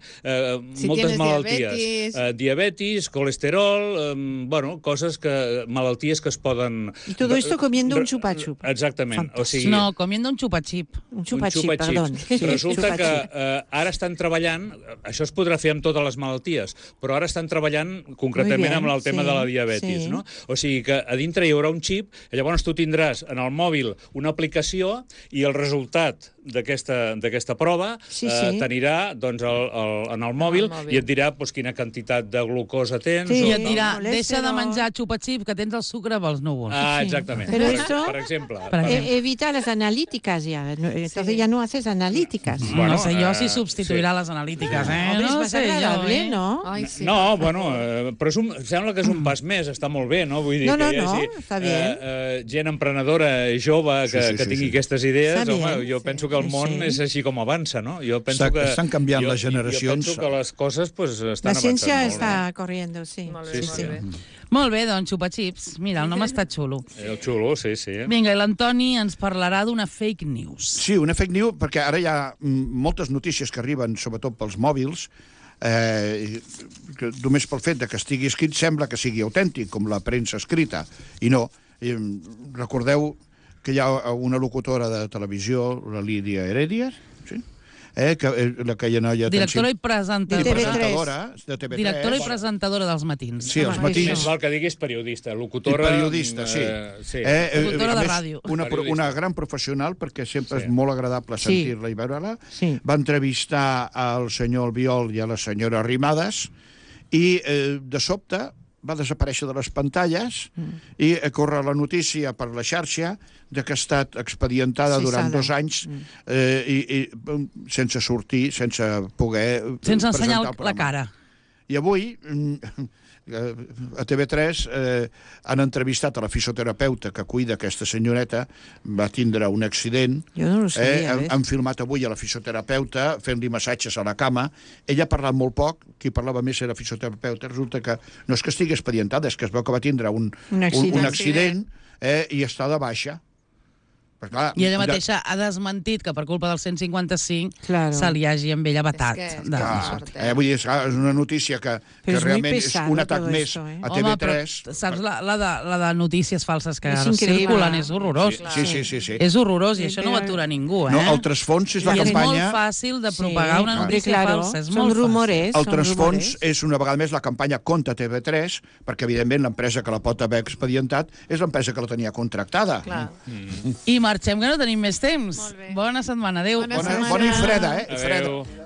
Uh, Si moltes tienes malalties. diabetis. Uh, diabetis, colesterol, um, bueno, coses que... malalties que es poden... Y todo esto comiendo un Re- chupa-chup. Exactament. O sigui, No, comiendo un xupa-xip. Un un chupa-chip, xupa-xips. perdón. Resulta que Chupa-chip. eh, ara estan treballant, això es podrà fer amb totes les malalties, però ara estan treballant concretament Muy bien, amb el tema sí, de la diabetis, sí. no? O sigui que a dintre hi haurà un xip, i llavors tu tindràs en el mòbil una aplicació i el resultat d'aquesta d'aquesta prova Sí, eh, sí. t'anirà doncs, el, el, en el mòbil, mòbil. i et dirà doncs, quina quantitat de glucosa tens. Sí, o I tal. et dirà, colesterol. deixa de menjar xupa-xip, que tens el sucre pels núvols. Ah, Sí. exactament. Pero per, esto- per exemple. Per exemple. Eh, evita las analíticas ya. No, Entonces Sí. ya no haces analíticas. Bueno, no sé jo eh, si substituirà les analítiques, eh? Hombre, es no más sé jo, agradable, eh? ¿no? Ai, sí. No, bueno, eh, però és un, sembla que és un pas més, està molt bé, no? Vull dir No, no, que hi hagi no, està bé. eh, eh, gent emprenedora, jove, que, Sí, sí, que sí, tingui sí. aquestes idees, Està home, bé, jo sí. penso que el Sí, món sí. és així com avança, no? Jo penso Està- que... estan canviant jo, les generacions. Jo penso que les coses pues, estan La ciencia avançant molt. está corriendo, sí. Molt bé, Sí, molt sí. bé. Molt bé, doncs, xupa-xips. Mira, el nom està xulo. Eh, El xulo, sí, sí. Vinga, i l'Antoni ens parlarà d'una fake news. Sí, una fake news, perquè ara hi ha mm, moltes notícies que arriben, sobretot pels mòbils, eh, que només pel fet de que estigui escrit sembla que sigui autèntic, com la premsa escrita, i no. Eh, recordeu que hi ha una locutora de televisió, la Lídia Heredia, sí? eh, que, eh, la que hi ha noia... Directora i i presentadora. De T V tres. presentadora de T V tres. Directora i presentadora dels matins. Sí, els Home, matins. Més val que diguis periodista, I locutora... periodista, sí. Eh, sí. Eh, eh, Locutora a de més, ràdio. Una, pro- Periodista. una gran professional, perquè sempre Sí. és molt agradable Sí. sentir-la i veure-la. Sí. Va entrevistar al senyor Albiol i a la senyora Arrimadas, i eh, de sobte va desaparèixer de les pantalles mm. i corre la notícia per la xarxa de que ha estat expedientada sí, durant dos anys mm. eh, i, i sense sortir, sense poder sense ensenyar presentar la cara. I avui a T V tres eh, han entrevistat a la fisioterapeuta que cuida aquesta senyoreta, va tindre un accident. Jo no ho sabia, eh, han, han filmat avui a la fisioterapeuta fent-li massatges a la cama. Ella ha parlat molt poc, qui parlava més era la fisioterapeuta. Resulta que no és que estigui expedientada, és que es veu que va tindre un, un accident, un, un accident eh, i està de baixa. Però, clar, I ella mateixa ha desmentit que per culpa del cent cinquanta-cinc claro. se li hagi amb ella batat. És que, de... clar, eh, vull dir, és, és una notícia que, que és realment pesado, és un atac més esto, eh? a T V tres. Home, però saps, la, la, de, la de notícies falses que És ara increïble. circulen és horrorós. Sí, sí, sí, sí. És horrorós i Sí, això no ho però- atura ningú, eh? No, el trasfons és la I és campanya... molt fàcil de propagar Sí, una hombre, notícia claro, falsa. És són molt rumores. El són trasfons rumores. és una vegada més la campanya contra T V tres, perquè evidentment l'empresa que la pot haver expedientat és l'empresa que la tenia contractada. Clar. I marxem, que no tenim més temps. Molt bé. Bona setmana, adéu. Bona Bona, setmana. bona i freda, eh? I freda. Adéu.